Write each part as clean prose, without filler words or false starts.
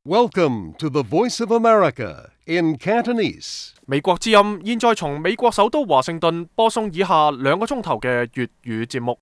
Welcome to the Voice of America in Cantonese. 美國之音現在從美國首都華盛頓播送以下2個鐘頭嘅粵語節目。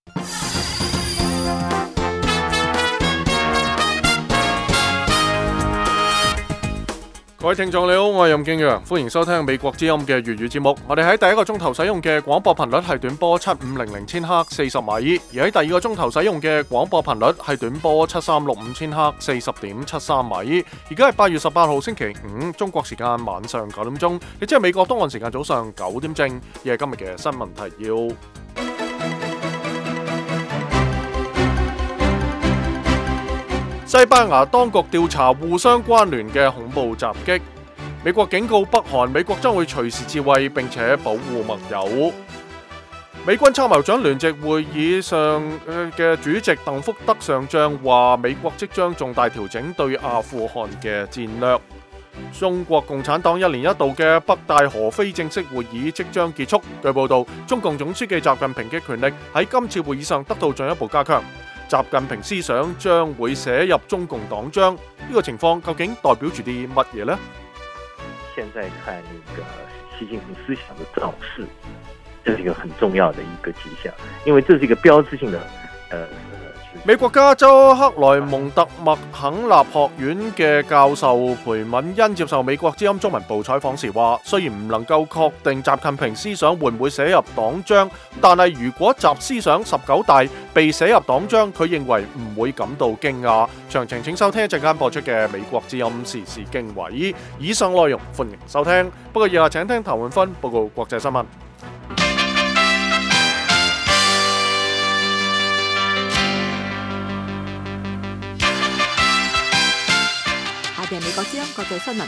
各位聽眾你好，我係任敬陽，歡迎收聽美國之音嘅粵語節目。我哋喺第一個鐘頭使用嘅廣播頻率係短波7500千赫40米，而喺第二個鐘頭使用嘅廣播頻率係短波7365千赫40.73米。而家係8月18號星期五，中國時間晚上9點鐘，亦即係美國東岸時間早上9點正。而係今日嘅新聞提要。西班牙當局調查互相關聯嘅恐怖襲擊。美國警告北韓，美國將會隨時自衛並且保護盟友。美軍參謀長聯席會議上嘅主席鄧福德上將話，美國即將重大調整對阿富汗嘅戰略。中國共產黨1年1度嘅北戴河非正式會議即將結束。據報道，中共總書記習近平嘅權力喺今次會議上得到進一步加強。習近平思想將會寫入中共黨章，呢個情況究竟代表住啲乜嘢呢？現在看那個習近平思想的造勢，這是一個很重要的一個跡象，因為這是一個標誌性的美國加州克萊蒙特麥肯納學院嘅教授裴敏欣接受美國之音中文部採訪時話，雖然唔能夠確定習近平思想會唔會寫入黨章，但係如果習思想19大被寫入黨章，佢認為唔會感到驚訝。詳情請收聽一陣間播出嘅美國之音時事經緯。以上內容歡迎收聽，不過以下請聽譚永芬報告國際新聞。美國之音國際新聞：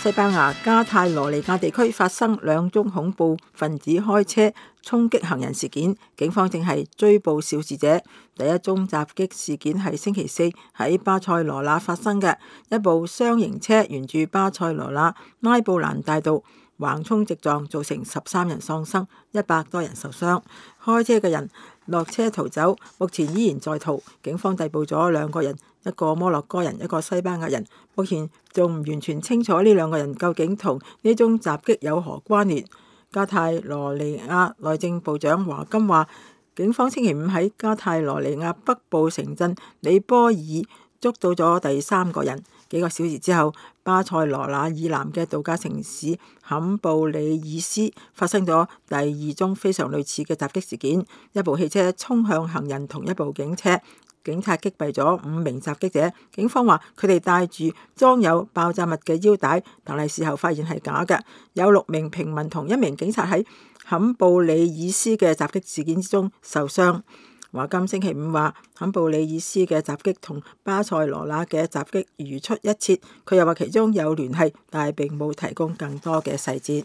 西班牙加泰羅尼亞地區發生2宗恐怖分子開車衝擊行人事件，警方正係追捕肇事者。第一宗襲擊事件係星期4喺巴塞羅那發生嘅，一部雙型車沿住巴塞羅那拉布蘭大道橫衝直撞，造成13人喪生，100多人受傷。開車嘅人落車逃走，目前依然在逃。警方逮捕咗2個人，一個摩洛哥人，一個西班牙人。目前仲唔完全清楚呢2個人究竟同呢宗襲擊有何關聯。加泰羅尼亞內政部長華金話，警方星期5喺加泰羅尼亞北部城鎮里波爾捉到咗第3個人。幾個小時之後，巴塞羅那以南嘅度假城市坎布里爾斯發生咗第2宗非常類似嘅襲擊事件，一部汽車衝向行人同一部警車，警察擊斃咗5名襲擊者。警方話佢哋帶住裝有爆炸物嘅腰帶，但係事後發現係假嘅。有6名平民同1名警察喺坎布里爾斯嘅襲擊事件之中受傷。華金星期5話，坎布里爾斯嘅襲擊同巴塞羅那嘅襲擊如出一轍。佢又話其中有聯繫，但係並冇提供更多嘅細節。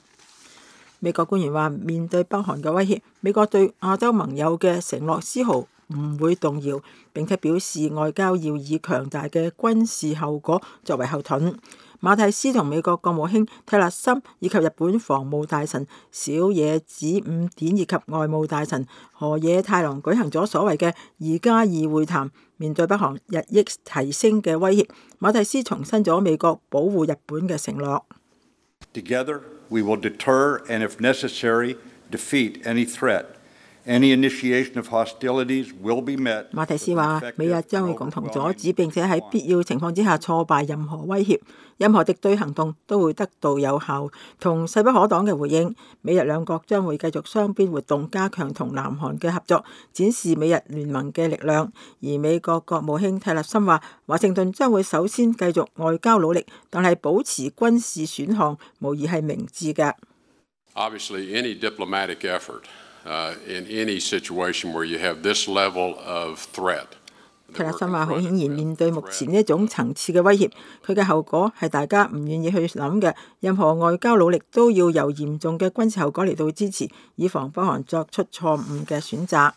美國官員話，面對北韓嘅威脅，美國對亞洲盟友嘅承諾絲毫唔會動搖，並且表示外交要以強大嘅軍事後果作為後盾。馬蒂斯同美國國務卿蒂勒森以及日本防務大臣小野寺五典以及外務大臣河野太郎舉行咗所謂嘅2+2會談。面對北韓日益提升嘅威脅，馬蒂斯重申咗美國保護日本嘅承諾。Together, we will deter and, if necessary, defeat any threat.Any initiation of hostilities will be met. 馬蒂斯話：美日將會共同阻止並且喺必要情況之下挫敗任何威脅，任何敵對行動都會得到有效同勢不可擋嘅回應。美日兩國將會繼續雙邊活動，加強同南韓嘅合作，展示美日聯盟嘅力量。而美國國務卿蒂勒森話：華盛頓將會首先繼續外交努力，但係保持軍事選項無疑係明智嘅。Obviously, any diplomatic effort.In any situation where you have this level of threat. 蒂勒森話：好顯然，面對目前呢一種層次嘅威脅，佢嘅後果係大家唔願意去諗嘅。任何外交努力都要由嚴重嘅軍事後果嚟到支持，以防北韓作出錯誤嘅選擇。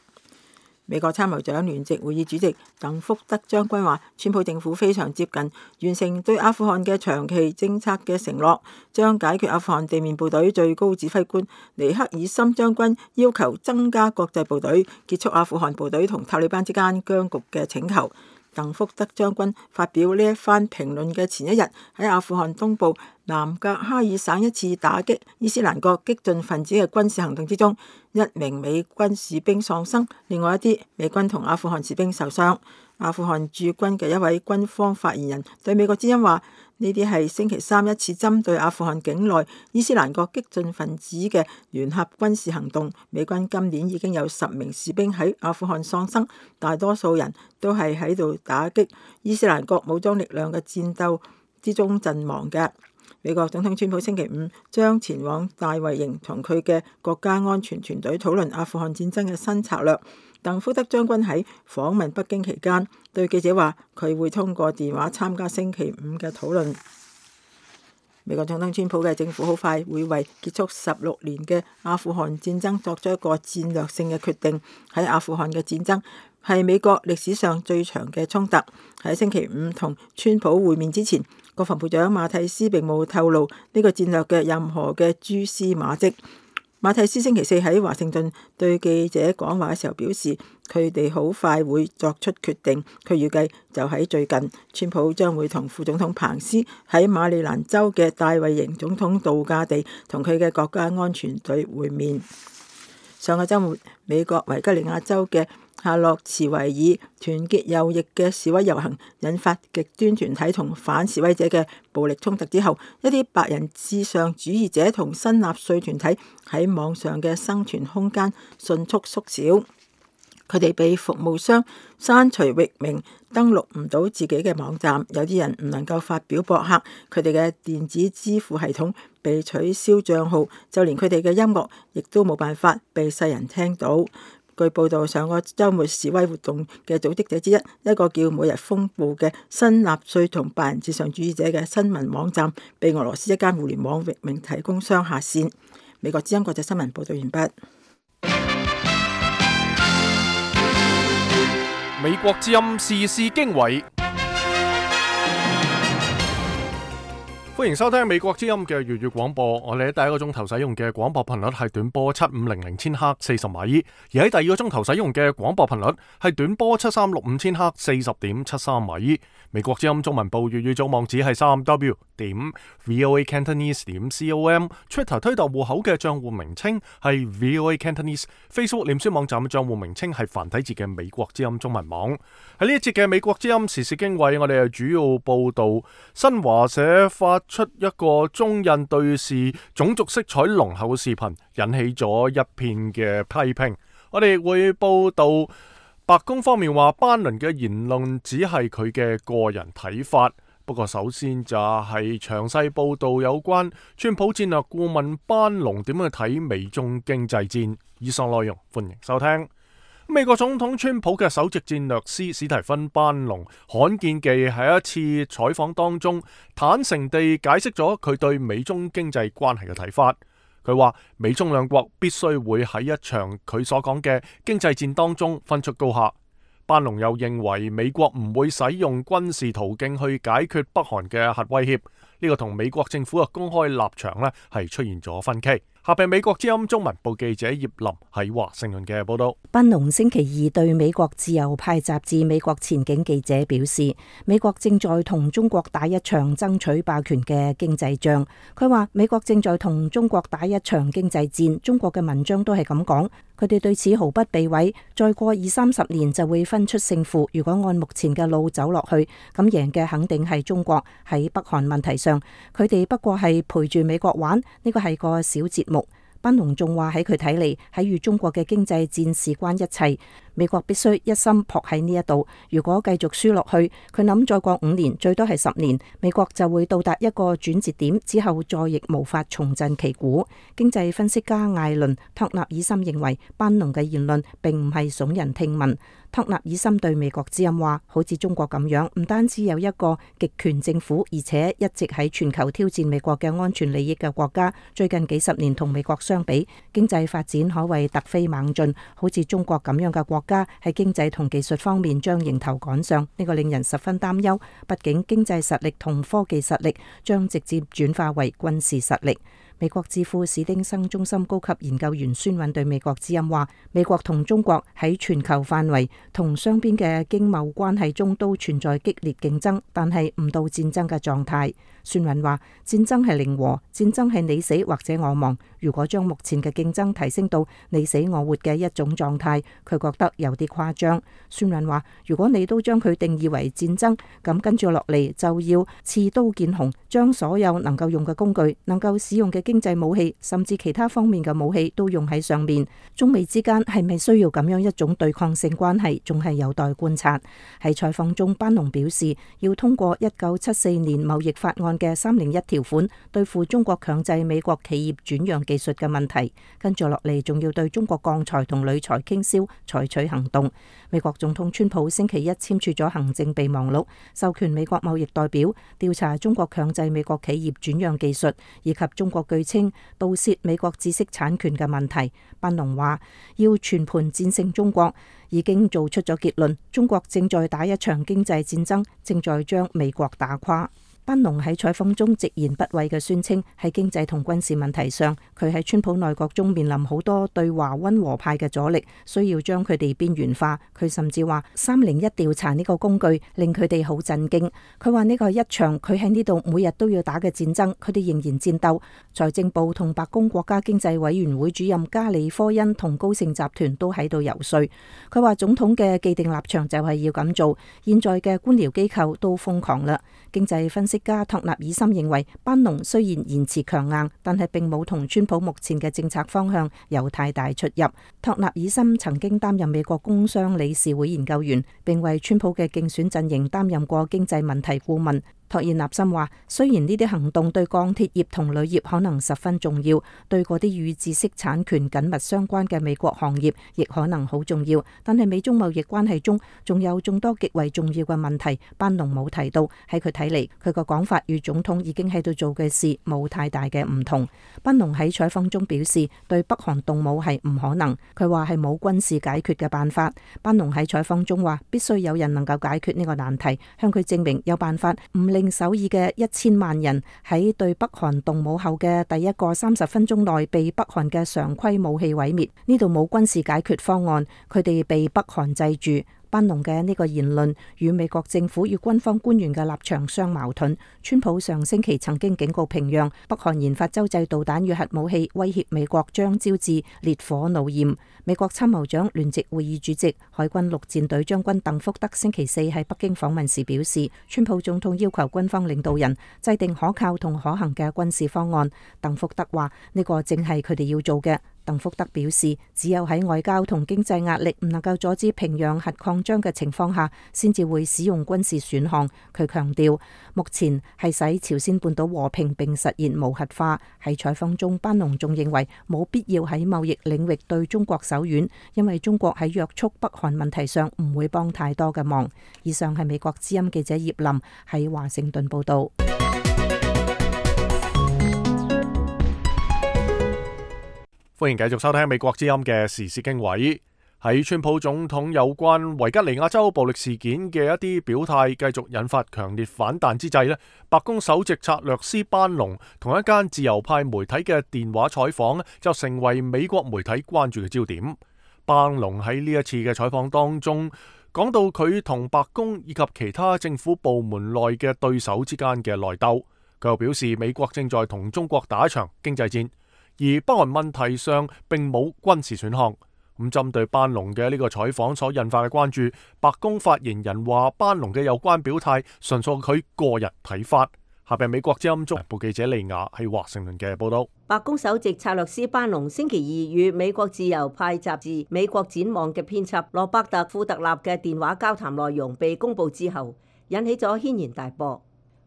美國參謀長聯席會議主席鄧福德將軍話，川普政府非常接近完成對阿富汗嘅長期政策嘅承諾，將解決阿富汗地面部隊最高指揮官尼克爾森將軍要求增加國際部隊，結束阿富汗部隊同塔利班之間僵局嘅請求。鄧福德將軍發表呢一番評論嘅前一日，喺阿富汗東部南格哈爾省一次打擊伊斯蘭國激進分子嘅軍事行動之中，一名美軍士兵喪生，另外一啲美軍同阿富汗士兵受傷。阿富汗駐軍嘅一位軍方發言人對美國之音話：呢啲係星期三一次針對阿富汗境內伊斯蘭國激進分子嘅聯合軍事行動。美軍今年已經有10名士兵喺阿富汗喪生，大多數人都係喺度打擊伊斯蘭國武裝力量嘅戰鬥之中陣亡嘅。美國總統川普星期五將前往大衛營同佢嘅國家安全團隊討論阿富汗戰爭嘅新策略。鄧福德將軍喺訪問北京期間對記者話，佢會通過電話參加星期五嘅討論。美國總統川普嘅政府好快會為結束16年嘅阿富汗戰爭作出一個戰略性嘅決定。喺阿富汗嘅戰爭係美國歷史上最長嘅衝突。喺星期五同川普會面之前，國防部長馬蒂斯並冇透露呢個戰略嘅任何嘅蛛絲馬跡。馬蒂斯星期四喺華盛頓對記者講話嘅時候表示，佢哋好快會作出決定。佢預計就喺最近，川普將會同副總統彭斯喺馬里蘭州嘅大衛營總統度假地同佢嘅國家安全隊會面。上個週末，美國維吉尼亞州嘅夏洛茨維爾團結右翼嘅示威遊行引發極端團體同反示威者嘅暴力衝突之後，一啲白人至上主義者同新納粹團體喺網上嘅生存空間迅速縮小。佢哋被服務商刪除域名，登錄唔到自己嘅網站，有啲人唔能夠發表博客，佢哋嘅電子支付系統被取消賬號，就連佢哋嘅音樂亦都冇辦法被世人聽到。據報道，上個週末示威活動嘅組織者之一，一個叫每日風暴嘅新納粹同白人至上主義者嘅新聞網站，被俄羅斯一間互聯網域名提供商下線。美國之音國際新聞報道完畢。美國之音時事經緯，歡迎收聽美國之音嘅粵語廣播。我哋喺第一個鐘頭使用嘅廣播頻率係短波7500千赫40米，而喺第二個鐘頭使用嘅廣播頻率係短波7365千赫40.73米。美國之音中文部粵語組網址係3w.voacantonese.com，Twitter 推特戶口嘅賬戶名稱係 VOA Cantonese，Facebook 臉書網站嘅賬戶名稱係繁體字嘅美國之音中文網。喺呢一節嘅美國之音時事經緯，我哋係主要報道新華社發出一個中印對視種族色彩濃厚嘅視頻，引起咗一片嘅批評。我哋會報道白宮方面話班倫嘅言論只係佢嘅個人睇法，不過首先就係詳細報道有關川普戰略顧問班農點樣去睇美中經濟戰。以上內容歡迎收聽。美國總統川普嘅首席戰略師史提芬班農罕見地喺一次採訪當中坦誠地解釋咗佢對美中經濟關係嘅睇法。佢話美中兩國必須會喺一場佢所講嘅經濟戰當中分出高下。班農又認為美國唔會使用軍事途徑去解決北韓嘅核威脅，呢個同美國政府嘅公開立場呢係出現咗分歧。下邊美國之音中文部記者葉林喺華盛頓嘅報道。班農星期二對美國自由派雜誌美國前景記者表示，美國正在同中國打一場爭取霸權嘅經濟仗。佢話美國正在同中國打一場經濟戰，中國嘅文章都係咁講，佢哋對此毫不避諱。再過20-30年就會分出勝負，如果按目前嘅路走落去，咁贏嘅肯定係中國。喺北韓問題上，佢哋不過係陪住美國玩，呢個係個小節目。班農仲話喺佢睇嚟，喺與中國嘅經濟戰事關一切，美國必須一心撲喺呢一度。如果繼續輸落去，佢諗再過5年，最多係10年，美國就會到達一個轉折點，之後再亦無法重振旗鼓。經濟分析家艾倫·托納爾森認為，班農嘅言論並唔係聳人聽聞。托納爾森對美國之音話，好似中國咁樣，唔單止有一個極權政府，而且一直喺全球挑戰美國嘅安全利益嘅國家，最近幾十年同美國相比，經濟發展可謂突飛猛進。好似中國咁樣嘅國家喺經濟同技術方面將迎頭趕上，呢個令人十分擔憂。畢竟經濟實力同科技實力將直接轉化為軍事實力。美國智庫史丁生中心高級研究員孫韻對美國之音話：美國同中國喺全球範圍同雙邊嘅經貿關係中都存在激烈競爭，但係唔到戰爭嘅狀態。孫韻話：戰爭係零和，戰爭係你死或者我亡。如果將目前嘅競爭提升到你死我活嘅一種狀態，佢覺得有啲誇張。孫韻話：如果你都將佢定義為戰爭，咁跟住落嚟就要刺刀見紅，將所有能夠用嘅工具、能夠使用嘅經濟武器，甚至其他方面嘅武器都用喺上面。中美之間係咪需要咁樣一種對抗性關係，仲係有待觀察。喺採訪中，班農表示要通過1974年貿易法案嘅301條款對付中國強制美國企業轉讓技術嘅問題，跟住落嚟仲要對中國鋼材同鋁材傾銷採取行動。美國總統川普星期一簽署咗行政備忘錄，授權美國貿易代表調查中國強制美國企業轉讓技術以及中國據稱盜竊美國知識產權嘅問題。班農話要全盤戰勝中國，已經做出咗結論，中國正在打一場經濟戰爭，正在將美國打垮。班農喺採訪中直言不諱嘅宣稱，喺經濟同軍事問題上，佢喺川普內閣中面臨好多對華溫和派嘅阻力，需要將佢哋邊緣化。佢甚至話301調查呢個工具令佢哋好震驚。佢話呢個係一場佢喺呢度每日都要打嘅戰爭，佢哋仍然戰鬥。財政部同白宮國家經濟委員會主任加里科恩同高盛集團都喺度游說。佢話總統嘅既定立場就係要咁做，現在嘅官僚機構都瘋狂啦。經濟分析家托納爾森認為，班農雖然言辭強硬，但係並冇同川普目前嘅政策方向有太大出入。托納爾森曾經擔任美國工商理事會研究員，並為川普嘅競選陣營擔任過經濟問題顧問。托爾納森話：雖然呢啲行動對鋼鐵業同鋁業可能十分重要，對嗰啲與知識產權緊密相關嘅美國行業亦可能好重要，但係美中貿易關係中仲有眾多極為重要嘅問題，班農冇提到。喺佢睇嚟，佢個講法與總統已經喺度做嘅事冇太大嘅唔同。班農喺採訪中表示，對北韓動武係唔可能，佢話係冇軍事解決嘅辦法。班農喺採訪中話，必須有人能夠解決呢個難題，向佢證明有辦法唔令首爾嘅1000萬人喺對北韓動武後嘅第一個30分鐘內被北韓嘅常規武器毀滅。呢度冇軍事解決方案，佢哋被北韓制住。班農嘅呢個言論與美國政府與軍方官員嘅立場相矛盾。川普上星期曾經警告平壤，北韓研發洲際導彈與核武器，威脅美國將招致烈火怒焰。美國參謀長聯席會議主席、海軍陸戰隊將軍鄧福德星期四喺北京訪問時表示，川普總統要求軍方領導人制定可靠同可行嘅軍事方案。鄧福德話：呢個正係佢哋要做嘅。鄧福德表示，只有喺外交同經濟壓力唔能夠阻止平壤核擴張嘅情況下，先至會使用軍事選項。佢強調，目前係使朝鮮半島和平並實現無核化。喺採訪中，班農仲認為冇必要喺貿易領域對中國手軟，因為中國喺約束北韓問題上唔會幫太多嘅忙。以上係美國之音記者葉林喺華盛頓報道。歡迎繼續收聽美國之音嘅時事經緯。喺川普總統有關維吉尼亞州暴力事件嘅一啲表態繼續引發強烈反彈之際咧，白宮首席策略師班農同一間自由派媒體嘅電話採訪就成為美國媒體關注嘅焦點。班農喺呢一次嘅採訪當中講到佢同白宮以及其他政府部門內嘅對手之間嘅內鬥，佢又表示美國正在同中國打一場經濟戰，而北韓問題上並冇軍事選項。咁針對班農嘅呢個採訪所引發嘅關注，白宮發言人話班農嘅有關表態純屬佢個人睇法。下邊美國之音中部記者利亞喺華盛頓嘅報道。白宮首席策略師班農星期二與美國自由派雜誌《美國展望》嘅編輯羅伯特·庫特納嘅電話交談內容被公佈之後，引起咗軒然大波。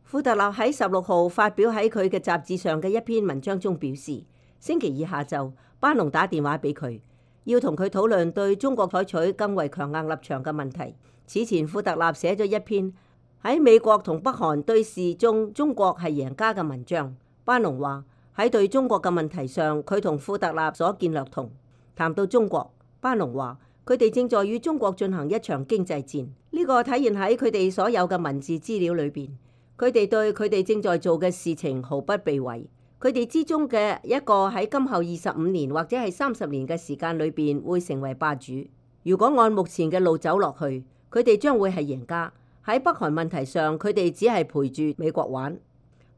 庫特納喺16號發表喺佢嘅雜誌上嘅一篇文章中表示，星期二下晝，班農打電話俾佢，要同佢討論對中國採取更為強硬立場嘅問題。此前，庫特納寫咗一篇喺美國同北韓對峙中，中國係贏家嘅文章。班農話喺對中國嘅問題上，佢同庫特納所見略同。談到中國，班農話佢哋正在與中國進行一場經濟戰，呢個體現喺佢哋所有嘅文字資料裏邊。佢哋對佢哋正在做嘅事情毫不避諱。佢哋之中嘅一個喺今後25年或者係30年嘅時間裏邊會成為霸主。如果按目前嘅路走落去，佢哋將會係贏家。喺北韓問題上，佢哋只係陪住美國玩。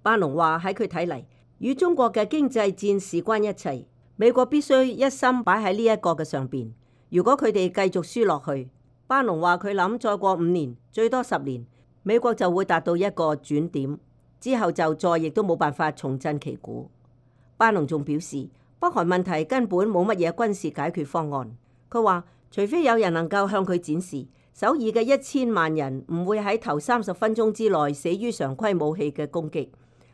班農話喺佢睇嚟，與中國嘅經濟戰事關一切，美國必須一心擺喺呢一個嘅上邊。如果佢哋繼續輸落去，班農話佢諗再過5年，最多10年，美國就會達到一個轉點，之後就再亦都冇辦法重振旗鼓。班農仲表示，北韓問題根本冇乜嘢軍事解決方案。佢話，除非有人能夠向佢展示首爾嘅1000萬人唔會喺頭30分鐘之內死於常規武器嘅攻擊，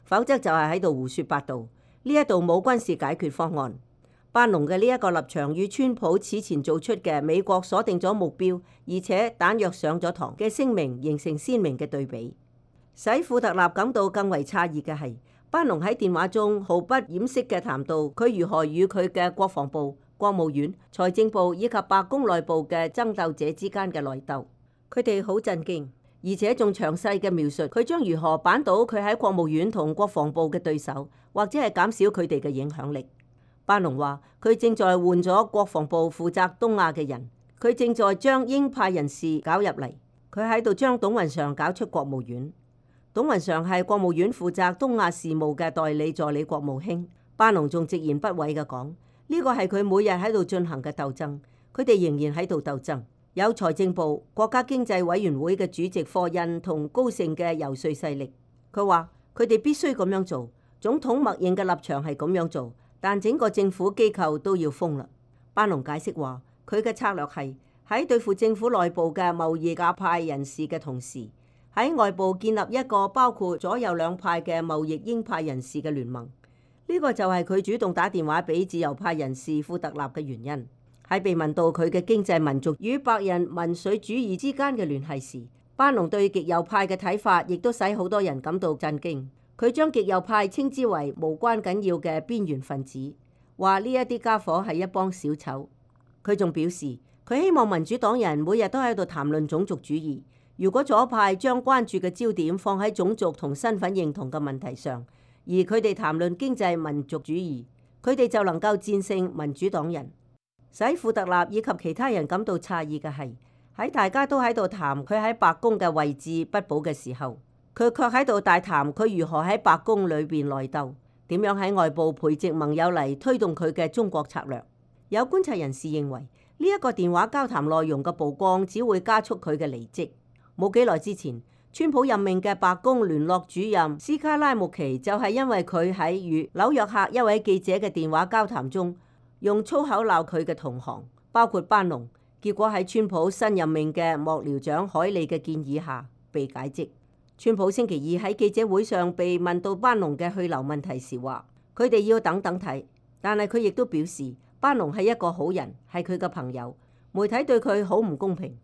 否則就係喺度胡說八道。呢一度冇軍事解決方案。班農嘅呢一個立場與川普此前做出嘅美國鎖定咗目標，而且彈藥上咗膛嘅聲明形成鮮明嘅對比。使庫特納感到更為詫異嘅係，班農喺電話中毫不掩飾嘅談到佢如何與佢嘅國防部、國務院、財政部以及白宮內部嘅爭鬥者之間嘅內鬥。佢哋好震驚，而且仲詳細嘅描述佢將如何扳倒佢喺國務院同國防部嘅對手，或者係減少佢哋嘅影響力。班農話佢正在換咗國防部負責東亞嘅人，佢正在將鷹派人士搞入嚟，佢喺度將董雲常搞出國務院。董雲常係國務院負責東亞事務嘅代理助理國務卿。班農仲直言不諱嘅講，呢個係佢每日喺度進行嘅鬥爭，佢哋仍然喺度鬥爭。有財政部、國家經濟委員會嘅主席霍印同高盛嘅游說勢力。佢話佢哋必須咁樣做，總統默認嘅立場係咁樣做，但整個政府機構都要封啦。班農解釋話，佢嘅策略係喺對付政府內部嘅貿易鴿派人士嘅同時，喺外部建立一個包括左右兩派嘅貿易鷹派人士嘅聯盟。呢個就係佢主動打電話俾自由派人士庫特納嘅原因。喺被問到佢嘅經濟民族與白人民粹主義之間嘅聯繫時，班農對極右派嘅睇法亦都使好多人感到震驚。佢將極右派稱之為無關緊要嘅邊緣分子，話呢一啲家伙係一幫小丑。佢仲表示，佢希望民主黨人每日都喺度談論種族主義。如果左派將關注嘅焦點放喺種族同身份認同嘅問題上，而佢哋談論經濟民族主義，佢哋就能夠戰勝民主黨人。使庫特納以及其他人感到詫異嘅係，喺大家都喺度談佢喺白宮嘅位置不保嘅時候，佢卻喺度大談佢如何喺白宮裏邊內鬥，點樣喺外部培植盟友嚟推動佢嘅中國策略。有觀察人士認為，呢一個電話交談內容嘅曝光只會加速佢嘅離職。冇幾耐之前，川普任命嘅白宮聯絡主任斯卡拉穆奇就係因為佢喺與紐約客一位記者嘅電話交談中，用粗口鬧佢嘅同行，包括班農，結果喺川普新任命嘅幕僚長海利嘅建議下被解職。川普星期二喺記者會上被問到班農嘅去留問題時話，佢哋要等等睇，但係佢亦都表示班農係一個好人，係佢嘅朋友，媒體對佢好唔公平。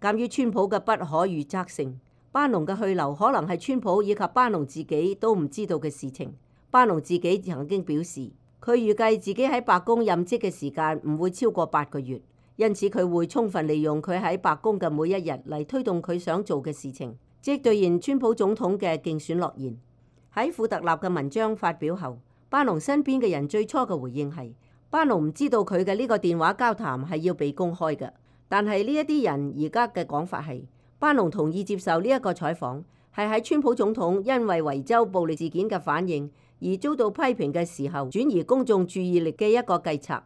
鑑於川普嘅不可預測性，班農嘅去留可能係川普以及班農自己都唔知道嘅事情。班農自己曾經表示，佢預計自己喺白宮任職嘅時間唔會超過8個月，因此佢會充分利用佢喺白宮嘅每一日嚟推動佢想做嘅事情，即兌現川普總統嘅競選諾言。喺庫特納嘅文章發表後，班農身邊嘅人最初嘅回應係，班農唔知道佢嘅呢個電話交談係要被公開嘅，但係呢一啲人而家嘅講法係，班農同意接受呢一個採訪，係喺川普總統因為維州暴力事件嘅反應而遭到批評嘅時候，轉移公眾注意力嘅一個計策。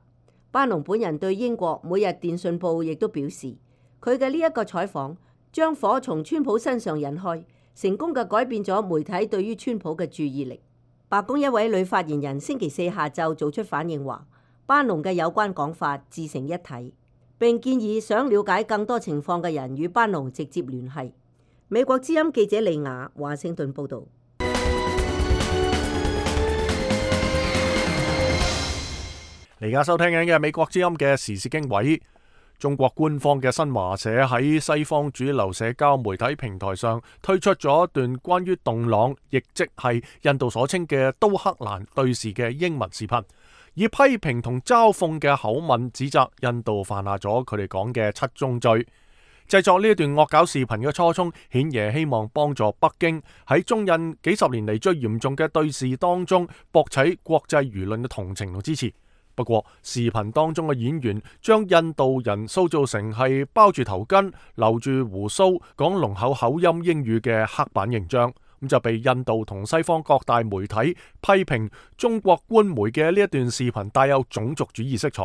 班農本人對英國每日電訊報亦都表示，佢嘅呢一個採訪將火從川普身上引開，成功嘅改變咗媒體對於川普嘅注意力。白宮一位女發言人星期四下晝做出反應話，班農嘅有關講法自成一體，並建議想了解更多情況嘅人與班農直接聯繫。美國之音記者李雅華盛頓報導。而家收聽緊嘅美國之音嘅時事經緯，中國官方嘅新華社喺西方主流社交媒體平台上推出咗一段關於洞朗，亦即係印度所稱嘅都克蘭對峙嘅英文視頻，以批評同嘲諷嘅口吻指責印度犯下咗佢哋講嘅7宗罪。製作呢一段惡搞視頻嘅初衷，顯然希望幫助北京喺中印幾十年嚟最嚴重嘅對峙當中博取國際輿論嘅同情同支持。不過，視頻當中嘅演員將印度人塑造成係包住頭巾、留住鬍鬚、講濃厚口音英語嘅刻板形象，咁就被印度同西方各大媒體批評中國官媒嘅呢一段視頻帶有種族主義色彩。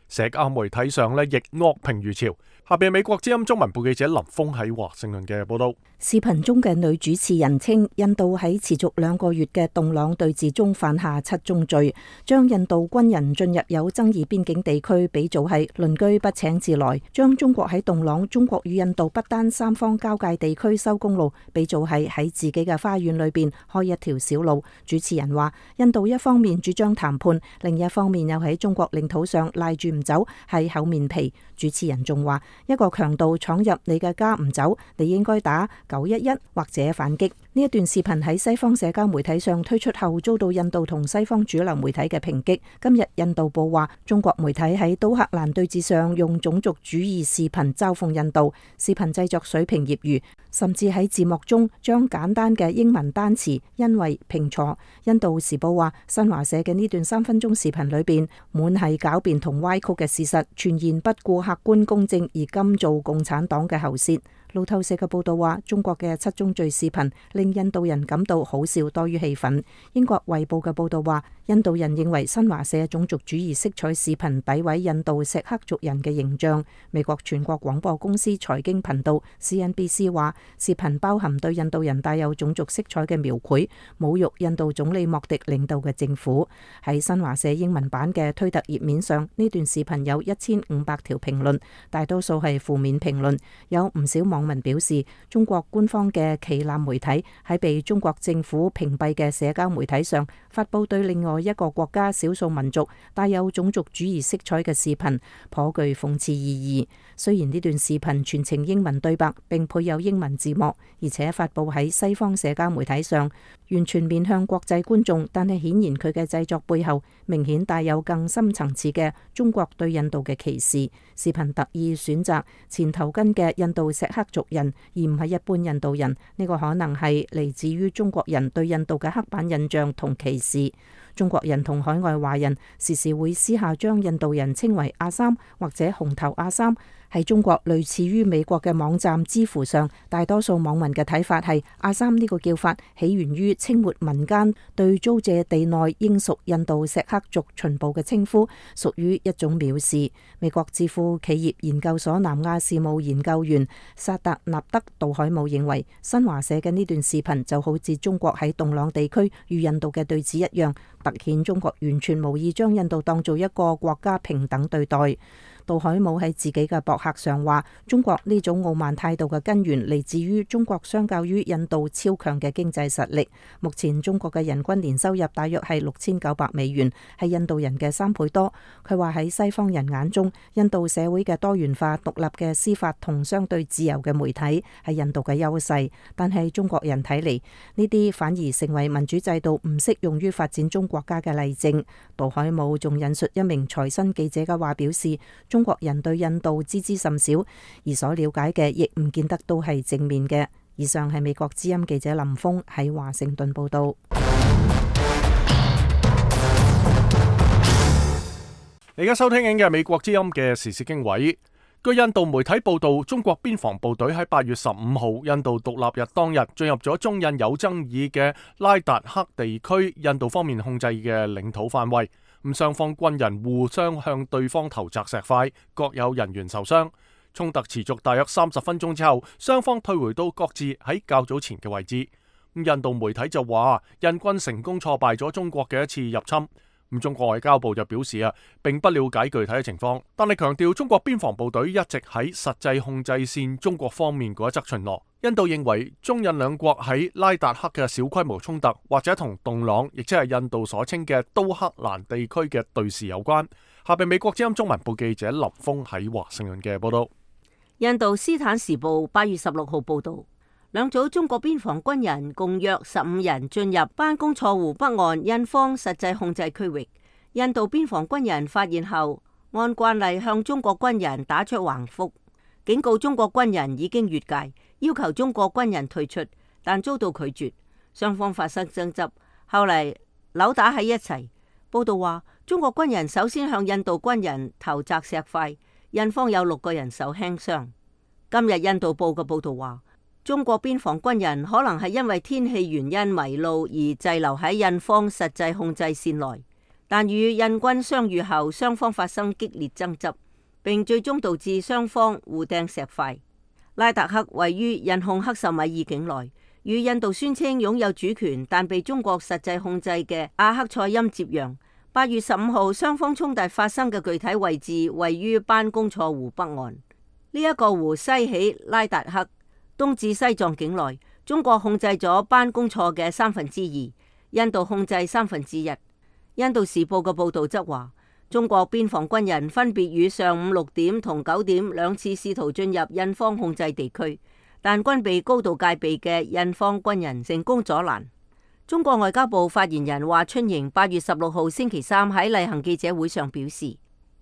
社交媒體上亦惡評如潮。下邊美國之音中文部記者林峰喺華盛頓嘅報道。視頻中嘅女主持人稱，印度喺持續2個月嘅洞朗對峙中犯下7宗罪，將印度軍人進入有爭議邊境地區比做係鄰居不請自來，將中國喺洞朗中國與印度不丹三方交界地區修公路比做係喺自己嘅花園裏邊開一條小路。主持人話，印度一方面主張談判，另一方面又喺中國領土上賴住唔走，係厚面皮。主持人仲話，一個強盜闖入你嘅家唔走，你應該打911或者反擊。呢一段視頻喺西方社交媒體上推出後，遭到印度同西方主流媒體嘅抨擊。今日印度報話，中國媒體喺都克蘭對峙上用種族主義視頻嘲諷印度，視頻製作水平業餘，甚至喺字幕中將簡單嘅英文單詞因為拼錯。印度時報話，新華社嘅呢段3分鐘視頻裏邊滿係狡辯同歪曲嘅事實，全然不顧客觀公正而甘做共產黨嘅喉舌。路透社嘅報道話，中國嘅7宗罪視頻令印度人感到好笑多於氣憤。英國衛報嘅報道話，印度人認為新華社種族主義色彩視頻詆毀印度錫克族人嘅形象。美國全國廣播公司財經頻道 CNBC 話，視頻包含對印度人帶有種族色彩嘅描繪，侮辱印度總理莫迪領導嘅政府。喺新華社英文版嘅推特頁面上，呢段視頻有1500條評論，大多數係負面評論，有唔少網民表示，中國官方嘅旗艦媒體喺被中國政府屏蔽嘅社交媒體上發佈對另外一個國家少數民族帶有種族主義色彩嘅視頻，頗具諷刺意義。雖然呢段視頻全程英文對白並配有英文字幕，而且發佈喺西方社交媒體上，完全面向國際觀眾，但係顯然佢嘅製作背後明顯帶有更深層次嘅中國對印度嘅歧視。視頻特意選擇前頭巾嘅印度錫克族人，而唔係一般印度人，呢個可能係嚟自於中國人對印度嘅刻板印象同歧視。中國人同海外華人時時會私下將印度人稱為阿三或者紅頭阿三。喺中國類似於美國嘅網站知乎上，大多數網民嘅睇法係阿三呢個叫法起源於清末民間對租借地內應屬印度錫克族巡捕嘅稱呼，屬於一種藐視。美國智庫企業研究所南亞事務研究員薩達納德杜海姆認為，新華社嘅呢段視頻就好似中國喺洞朗地區與印度嘅對峙一樣，凸顯中國完全無意將印度當做一個國家平等對待。杜海姆喺自己嘅博客上話，中國呢種傲慢態度嘅根源嚟自於中國相較於印度超強嘅經濟實力。目前中國嘅人均年收入大約係6900美元，係印度人嘅3倍多。佢話喺西方人眼中，印度社會嘅多元化、獨立嘅司法同相對自由嘅媒體係印度嘅優勢，但係中國人睇嚟，呢啲反而成為民主制度唔適用於發展中國家嘅例證。杜海姆仲引述一名財新記者嘅話表示，中國人對印度知之甚少，而所了解嘅亦唔見得都係正面嘅。以上係美國之音記者林峰喺華盛頓報道。你而家收聽緊嘅美國之音嘅時事經緯。據印度媒體報道，中國邊防部隊喺8月15號印度獨立日當日進入咗中印有爭議嘅拉達克地區，印度方面控制嘅領土範圍。咁雙方軍人互相向對方投擲石塊，各有人員受傷。衝突持續大約30分鐘之後，雙方退回到各自喺較早前嘅位置。印度媒體就話，印軍成功挫敗咗中國嘅一次入侵。中國外交部就表示並不了解具體嘅情況，但係強調中國邊防部隊一直喺實際控制線中國方面嗰一側巡邏。印度認為中印兩國喺拉達克嘅小規模衝突，或者同洞朗，亦即係印度所稱嘅都克蘭地區嘅對峙有關。下邊美國之音中文部記者林峰喺華盛頓嘅報道。印度斯坦時報8月16號報道，兩組中國邊防軍人共約15人進入班公錯湖北岸印方實際控制區域。印度邊防軍人發現後，按慣例向中國軍人打出橫幅。警告中國軍人已經越界，要求中國軍人退出，但遭到拒絕，雙方發生爭執，後嚟扭打喺一齊。報道話，中國軍人首先向印度軍人投擲石塊，印方有6個人受輕傷。今日印度報嘅報道話，中國邊防軍人可能係因為天氣原因迷路而滯留喺印方實際控制線內，但與印軍相遇後，雙方發生激烈爭執，並最終導致雙方互掟石塊。拉達克位於印控克什米爾境內，與印度宣稱擁有主權但被中國實際控制嘅阿克塞欽接壤。8月15號，雙方衝突發生嘅具體位置位於班公錯湖北岸。呢一個湖西起拉達克，東至西藏境內，中國控制咗班公錯嘅2/3，印度控制1/3。印度時報嘅報道則話，中國邊防軍人分別於上午6點同9點2次試圖進入印方控制地區，但均被高度戒備嘅印方軍人成功阻攔。中國外交部發言人華春瑩8月16號星期三喺例行記者會上表示，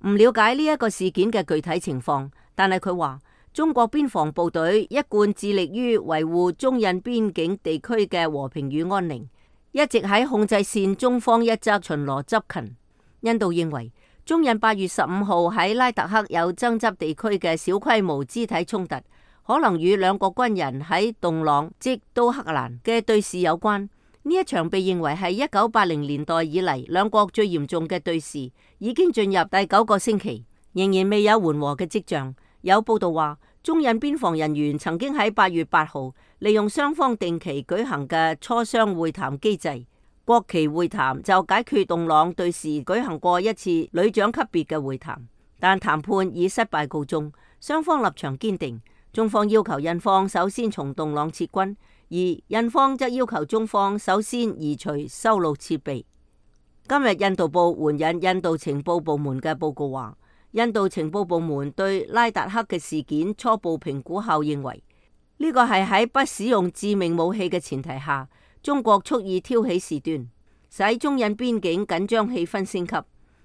唔了解呢一個事件嘅具體情況，但係佢話中國邊防部隊一貫致力於維護中印邊境地區嘅和平與安寧，一直喺控制線中方一側巡邏執勤。印度認為中印8月15號喺拉達克有爭執地區嘅小規模肢體衝突，可能與兩國軍人喺洞朗即都克蘭嘅對峙有關。呢一場被認為係1980年代以嚟兩國最嚴重嘅對峙，已經進入第9個星期，仍然未有緩和嘅跡象。有報道話，中印邊防人員曾經喺8月8號利用雙方定期舉行嘅磋商會談機制，國旗會談就解決洞朗對峙舉行過一次旅長級別嘅會談，但談判以失敗告終，雙方立場堅定。中方要求印方首先從洞朗撤軍，而印方則要求中方首先移除修路設備。今日印度報援引印度情報部門嘅報告話，印度情報部門對拉達克嘅事件初步評估後認為，呢個係喺不使用致命武器嘅前提下，中國蓄意挑起事端，使中印邊境緊張氣氛升級。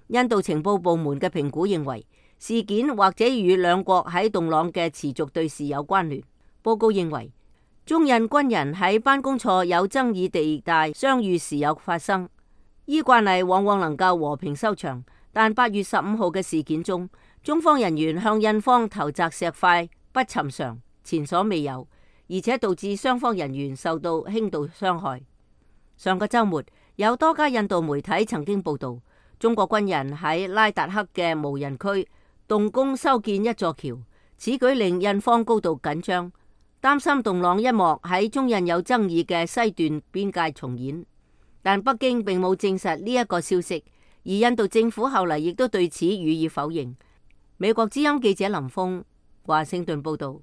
印度情報部門嘅評估認為，事件或者與兩國喺洞朗嘅持續對峙有關聯。報告認為，中印軍人喺班公錯有爭議地帶相遇時有發生，依慣例往往能夠和平收場，但8月15號嘅事件中，中方人員向印方投擲石塊不尋常，前所未有，而且導致雙方人員受到輕度傷害。上個週末，有多家印度媒體曾經報導，中國軍人喺拉達克嘅無人區動工修建一座橋，此舉令印方高度緊張，擔心洞朗一幕喺中印有爭議嘅西段邊界重演。但北京並冇證實呢一個消息，而印度政府後嚟亦都對此予以否認。美國之音記者林峰華盛頓報道。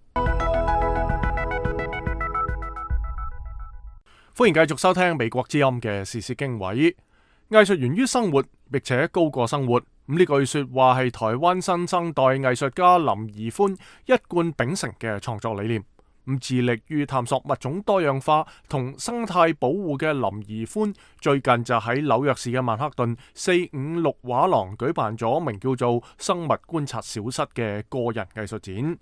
歡迎繼續收聽美國之音嘅時事經緯。藝術源於生活，並且高過生活。呢句說話係台灣新生代藝術家林宜寬一貫秉承嘅創作理念。致力於探索物種多樣化同生態保護嘅林宜寬，最近就喺紐約市嘅曼克頓456畫廊舉辦咗名叫做《生物觀察小室》嘅個人藝術展。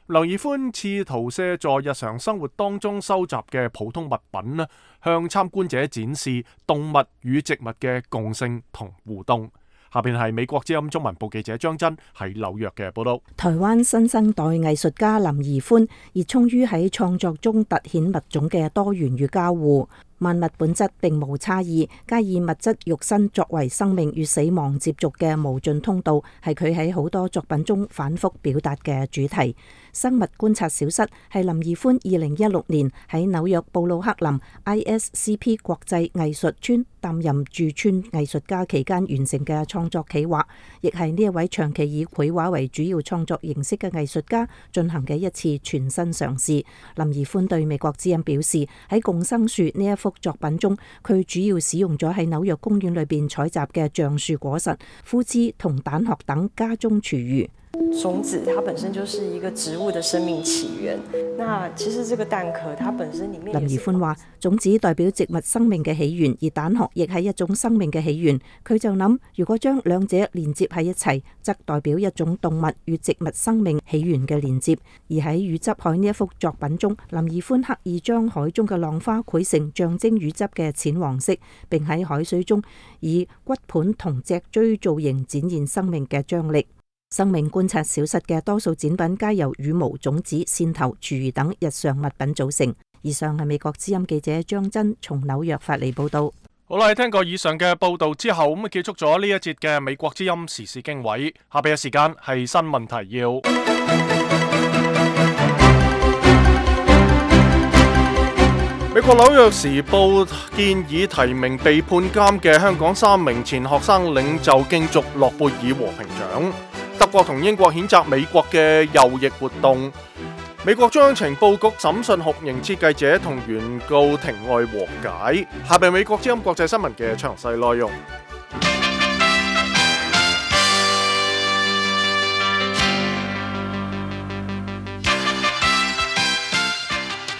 林宜寬試圖借助日常生活當中收集嘅普通物品呢，向參觀者展示動物與植物嘅共性同互動。下邊係美國之音中文部記者張真喺紐約嘅報道。台灣新生代藝術家林宜寬熱衷於喺創作中凸顯物種嘅多元與交互。萬物本質並無差異，皆以物質肉身作為生命與死亡接觸嘅無盡通道，係佢喺好多作品中反覆表達嘅主題。生物觀察小室係林宜寬2016年喺紐約布魯克林 ISCP 國際藝術村擔任駐村藝術家期間完成嘅創作企劃，亦係呢一位長期以繪畫為主要創作形式嘅藝術家進行嘅一次全新嘗試。林宜寬對美國之音表示，喺共生樹呢一幅作品中，佢主要使用咗喺紐約公園裏邊採集嘅橡樹果實、枯枝同蛋殼等家中廚餘。種子它本身就是一個植物的生命起源。那其實這個蛋殼它本身裡面林宜寬話，種子代表植物生命嘅起源，而蛋殼亦係一種生命嘅起源。佢就諗，如果將兩者連接喺一齊，則代表一種動物與植物生命起源嘅連接。而喺乳汁海呢一幅作品中，林宜寬刻意將海中嘅浪花繪成象徵乳汁嘅淺黃色，並喺海水中以骨盤同脊椎造型展現生命嘅張力。生命觀察小室嘅多數展品皆由羽毛、種子、線頭、廚餘等日常物品組成。以上係美國之音記者張真從紐約發嚟報道。好啦，聽過以上嘅報道之後，咁結束咗呢一節嘅美國之音時事經緯。下邊嘅時間係新聞提要。美國紐約時報建議提名被判監嘅香港3名前學生領袖競逐諾貝爾和平獎。德國同英國譴責美國嘅右翼活動。美國中央情報局審訊酷刑設計者同原告庭外和解。下邊美國之音國際新聞嘅詳細內容。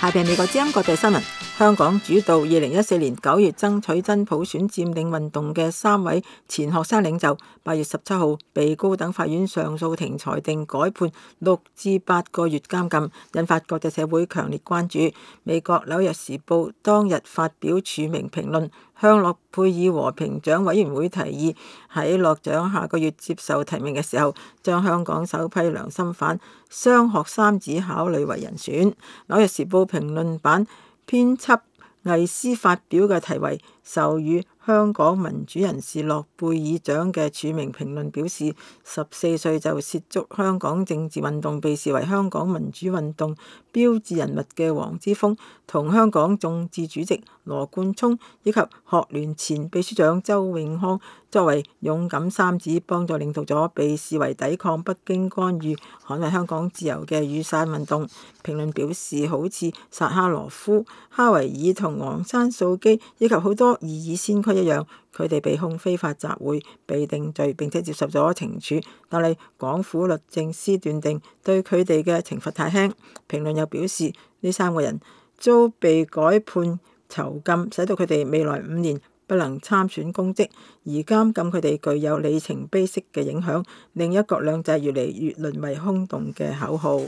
下邊美國之音國際新聞。香港主導2014年9月爭取真普選佔領運動嘅3位前學生領袖，8月17號被高等法院上訴庭裁定改判6至8個月監禁，引發國際社會強烈關注。美國紐約時報當日發表署名評論，向諾貝爾和平獎委員會提議喺獲獎下個月接受提名嘅時候，將香港首批良心犯雙學三子考慮為人選。紐約時報評論版編輯魏斯發表嘅題為授予香港民主人士諾貝爾獎嘅署名評論表示，14歲就涉足香港政治運動，被視為香港民主運動標誌人物嘅黃之鋒，同香港眾志主席羅冠聰以及學聯前秘書長周永康作為勇敢三子，幫助領導咗被視為抵抗北京干預、捍衛香港自由嘅雨傘運動。評論表示，好似薩哈羅夫、哈維爾同昂山素姬以及好多異議先驅一樣，佢哋被控非法集會、被定罪並且接受咗懲處，但係港府律政司斷定對佢哋嘅懲罰太輕。評論又表示，呢3個人遭被改判囚禁，使到佢哋未來5年不能參選公職，而監禁佢哋具有里程碑式嘅影響，令一國兩制越嚟越淪為空洞嘅口號。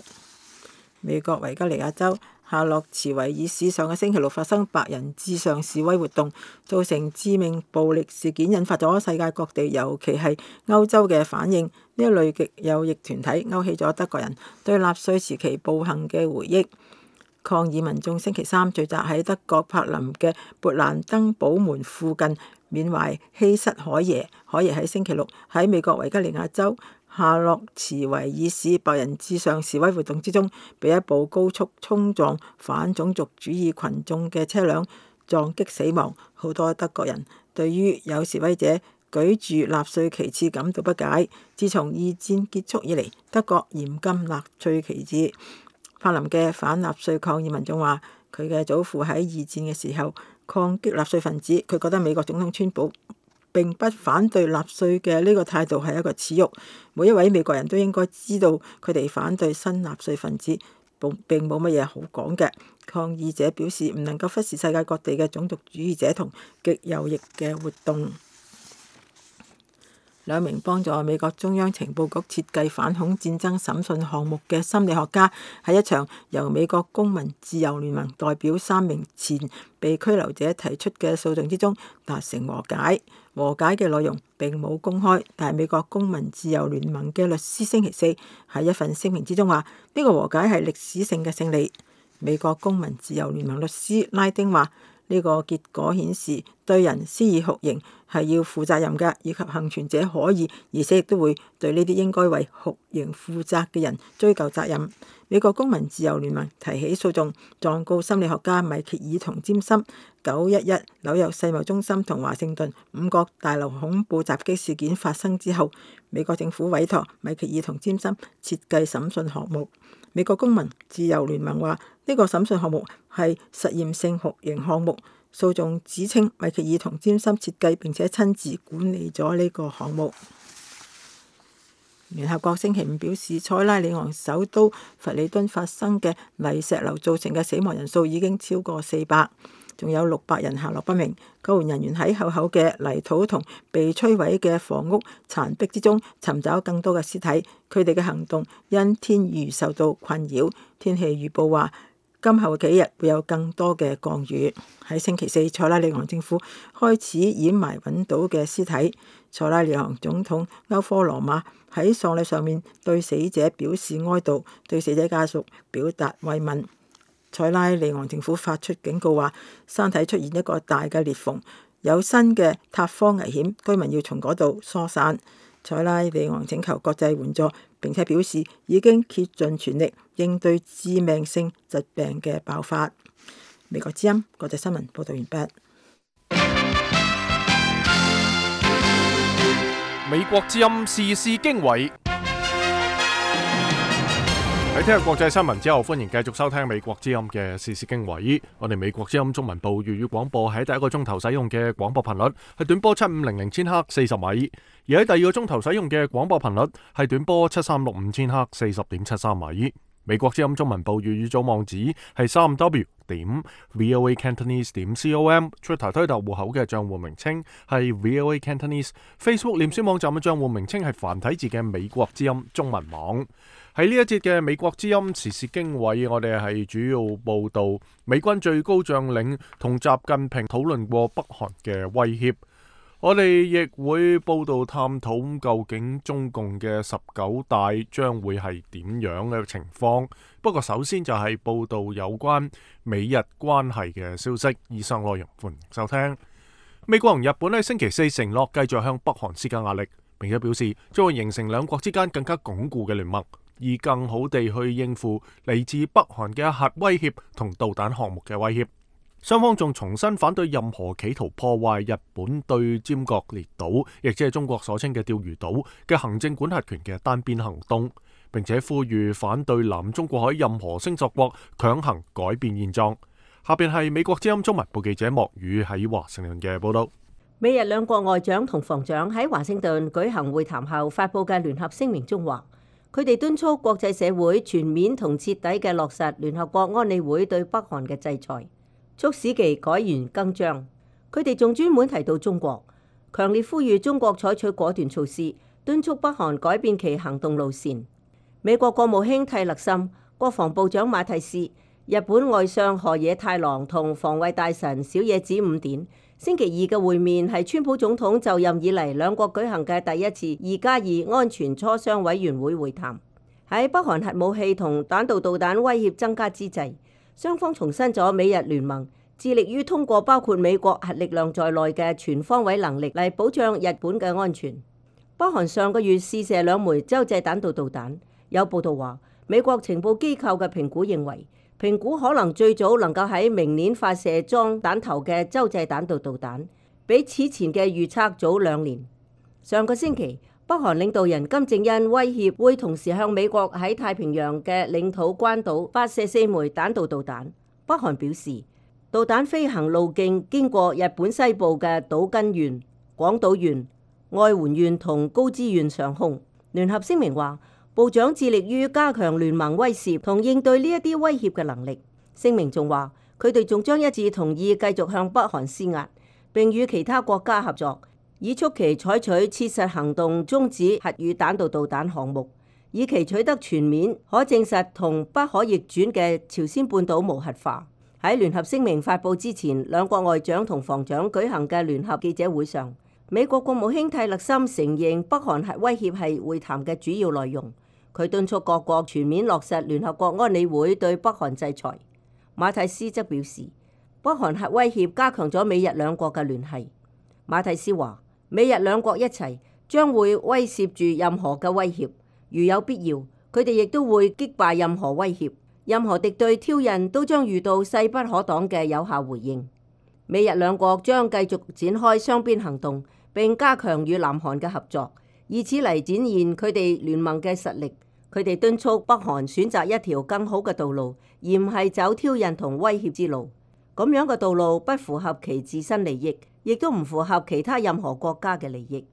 美國維吉尼亞州夏洛茨維爾市上個星期六發生白人至上示威活動，造成致命暴力事件，引發咗世界各地，尤其係歐洲嘅反應。呢一類極右翼團體勾起咗德國人對納粹時期暴行嘅回憶。抗議民眾星期三聚集喺德國柏林嘅勃蘭登堡門附近，緬懷希塞海耶。海耶喺星期六喺美國維吉尼亞州夏洛茨維爾市白人至上示威活動之中，被一部高速衝撞反種族主義群眾嘅車輛撞擊死亡。好多德國人對於有示威者舉住納粹旗幟感到不解。自從二戰結束以嚟，德國嚴禁納粹旗幟。柏林嘅反納粹抗議民眾話，佢嘅祖父喺二戰嘅時候抗擊納粹分子，佢覺得美國總統川普並不反對納粹嘅呢個態度係一個恥辱。每一位美國人都應該知道，佢哋反對新納粹分子並冇乜嘢好講嘅。抗議者表示唔能夠忽視世界各地嘅種族主義者同極右翼嘅活動。2名幫助美國中央情報局設計反恐戰爭審訊項目嘅心理學家，喺一場由美國公民自由聯盟代表3名前被拘留者提出嘅訴訟之中達成和解。和解嘅內容並冇公開，但係美國公民自由聯盟嘅律師星期四喺一份聲明之中話，呢個和解係歷史性嘅勝利。美國公民自由聯盟律師拉丁話，呢個結果顯示對人施以酷刑係要負責任嘅，以及幸存者可以，而且亦都會對呢啲應該為酷刑負責嘅人追究責任。美國公民自由聯盟提起訴訟，狀告心理學家米歇爾同詹森。911紐約世貿中心同華盛頓5角大樓恐怖襲擊事件發生之後，美國政府委託米歇爾同詹森設計審訊項目。美國公民自由聯盟話，呢個審訊項目係實驗性酷刑項目。訴訟指稱米歇爾同詹森設計並且親自管理咗呢個項目。聯合國星期五表示，塞拉利昂首都弗里敦發生嘅泥石流造成嘅死亡人數已經超過400，仲有600人下落不明。救援人員喺厚厚嘅泥土同被摧毀嘅房屋殘壁之中尋找更多嘅屍體。佢哋嘅行動因天雨受到困擾。天氣預報話，今後幾日會有更多嘅降雨。喺星期四，塞拉利昂政府開始掩埋揾到嘅屍體。塞拉利昂總統歐科羅馬喺喪禮上面對死者表示哀悼，對死者家屬表達慰問。塞拉利昂政府發出警告話，山體出現一個大嘅裂縫，有新嘅塌方危險，居民要從嗰度疏散。塞拉利昂請求國際援助，並且表示已經竭盡全力應對致命性疾病嘅爆發。美國之音國際新聞報道完畢。美國之音時事經緯。喺聽日國際新聞之後，歡迎繼續收聽美國之音嘅時事經緯。我哋美國之音中文部粵語廣播喺第一個鐘頭使用嘅廣播頻率係短波7500千赫40米，而喺第二個鐘頭使用嘅廣播頻率係短波7365千赫40.73米。美國之音中文部粵語組網址係3w.voacantonese.com，Twitter 推特戶口嘅賬戶名稱係 VOA Cantonese，Facebook 臉書網站嘅賬戶名稱係繁體字嘅美國之音中文網。喺呢一節嘅美國之音時事經緯，我哋係主要報道美軍最高將領同習近平討論過北韓嘅威脅。我哋亦會報道探討究竟中共嘅19大將會係點樣嘅情況。不過首先就係報道有關美日關係嘅消息。以上內容歡迎收聽。美國同日本喺星期四承諾繼續向北韓施加壓力，並且表示將會形成兩國之間更加鞏固嘅聯盟，以更好地去應付嚟自北韓嘅核威脅同導彈項目嘅威脅。雙方仲重新反對任何企圖破壞日本對尖閣列島，亦即係中國所稱嘅釣魚島嘅行政管轄權嘅單邊行動，並且呼籲反對南中國海任何星索國強行改變現狀。下邊係美國之音中文部記者莫宇喺華盛頓嘅報道。美日兩國外長同防長喺華盛頓舉行會談後發佈嘅聯合聲明中話，佢哋敦促國際社會全面同徹底嘅落實聯合國安理會對北韓嘅制裁，促使其改弦更張。佢哋仲專門提到中國，強烈呼籲中國採取果斷措施，敦促北韓改變其行動路線。美國國務卿蒂勒森、國防部長馬蒂斯、日本外相河野太郎同防衛大臣小野寺五典星期二嘅會面係川普總統就任以嚟兩國舉行嘅第一次2+2安全磋商委員會會談。喺北韓核武器同彈道導彈威脅增加之際，雙方重申咗美日聯盟致力於通過包括美國核力量在內嘅全方位能力嚟保障日本嘅安全。北韓上個月試射2枚洲際彈道導彈，有報道話美國情報機構嘅評估認為，評估可能最早能夠喺明年發射裝彈頭嘅洲際彈道導彈，比此前嘅預測早2年。上個星期，北韓領導人金正恩威脅會同時向美國喺太平洋嘅領土關島發射4枚彈道導彈。北韓表示，導彈飛行路徑經過日本西部嘅島根縣、廣島縣、愛媛縣同高知縣上空。聯合聲明話，部長致力於加強聯盟威懾同應對呢一啲威脅嘅能力。聲明仲話，佢哋仲將一致同意繼續向北韓施壓，並與其他國家合作，以促其採取切實行動終止核與彈道導彈項目，以期取得全面、可證實同不可逆轉嘅朝鮮半島無核化。喺聯合聲明發佈之前，兩國外長同防長舉行嘅聯合記者會上，美國國務卿蒂勒森承認北韓核威脅係會談嘅主要內容。佢敦促各國全面落實聯合國安理會對北韓制裁。馬蒂斯則表示，北韓核威脅加強咗美日兩國嘅聯繫。馬蒂斯話，美日兩國一齊將會威懾住任何嘅威脅，如有必要，佢哋亦都會擊敗任何威脅，任何敵對挑釁都將遇到勢不可擋嘅有效回應。美日兩國將繼續展開雙邊行動，並加強與南韓嘅合作，以此嚟展現佢哋聯盟嘅實力。佢哋敦促北韓選擇一條更好嘅道路，而唔係走挑釁同威脅之路。咁樣嘅道路不符合其自身利益，亦都唔符合其他任何國家嘅利益。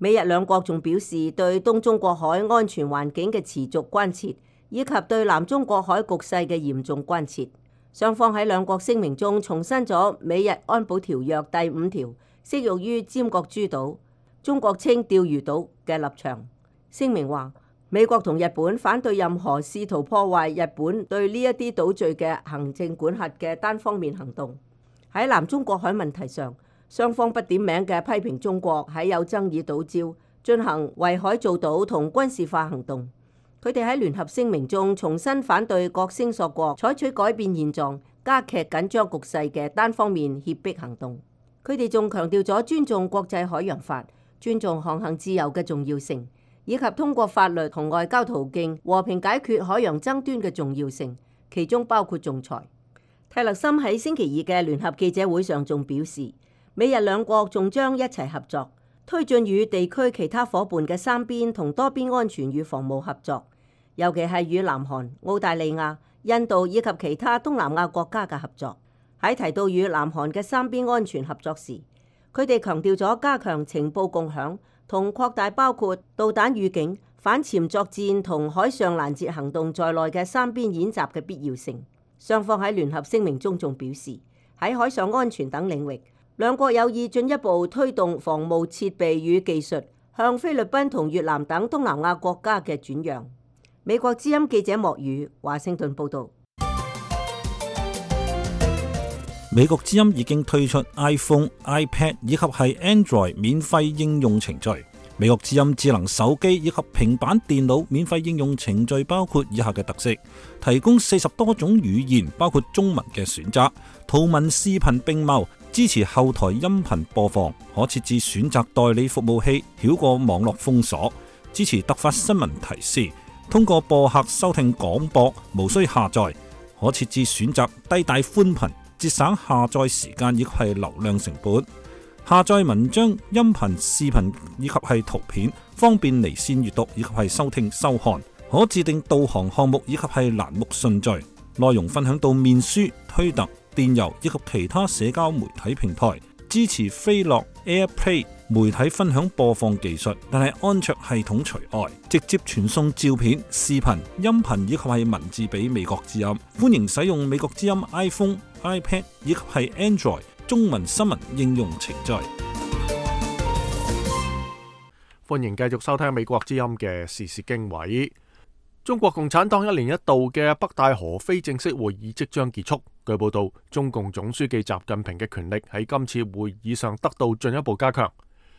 美日兩國仲表示對東中國海安全環境嘅持續關切，以及對南中國海局勢嘅嚴重關切。雙方喺兩國聲明中重申咗美日安保條約第5條適用於尖閣諸島、中國稱釣魚島嘅立場。聲明話，美國同日本反對任何試圖破壞日本對呢一啲島嶼嘅行政管轄嘅單方面行動。喺南中國海問題上，雙方不點名嘅批評中國喺有爭議島礁進行圍海造島同軍事化行動。佢哋喺聯合聲明中重新反對各聲索國採取改變現狀、加劇緊張局勢嘅單方面脅迫行動。佢哋仲強調咗尊重國際海洋法、尊重航行自由嘅重要性，以及通過法律同外交途徑和平解決海洋爭端嘅重要性，其中包括仲裁。泰勒森喺星期二嘅聯合記者會上仲表示，美日兩國仲將一齊合作，推進與地區其他夥伴嘅三邊同多邊安全與防務合作，尤其係與南韓、澳大利亞、印度以及其他東南亞國家嘅合作。喺提到與南韓嘅三邊安全合作時，佢哋強調咗加強情報共享同擴大包括導彈預警、反潛作戰同海上攔截行動在內嘅三邊演習嘅必要性。雙方喺聯合聲明中仲表示，喺海上安全等領域，兩國有意進一步推動防務設備與技術向菲律賓同越南等東南亞國家嘅轉讓。美國之音記者莫宇華盛頓報導。美國之音已經推出 iPhone、iPad 以及係 Android 免費應用程序。美國之音智能手機以及平板電腦免費應用程序包括以下嘅特色：提供40多種語言，包括中文嘅選擇，圖文視頻並茂，支持後台音頻播放，可設置選擇代理服務器，繞過網絡封鎖，支持突發新聞提示，通過播客收聽廣播，無需下載，可設置選擇低帶寬頻，節省下載時間以及係流量成本。下載文章、音頻、視頻以及係圖片，方便離線閱讀以及係收聽收看。可自定導航項目以及係欄目順序。內容分享到面書、推特、電郵以及其他社交媒體平台。支持飛樂、AirPlay 媒體分享播放技術，但係安卓系統除外。直接傳送照片、視頻、音頻以及係文字俾美國之音。歡迎使用美國之音 iPhone、iPad 以及係 Android中文新聞應用程序。歡迎繼續收聽美國之音嘅時事經緯。中國共產黨1年1度嘅北戴河非正式會議即將結束。據報道，中共總書記習近平嘅權力喺今次會議上得到進一步加強。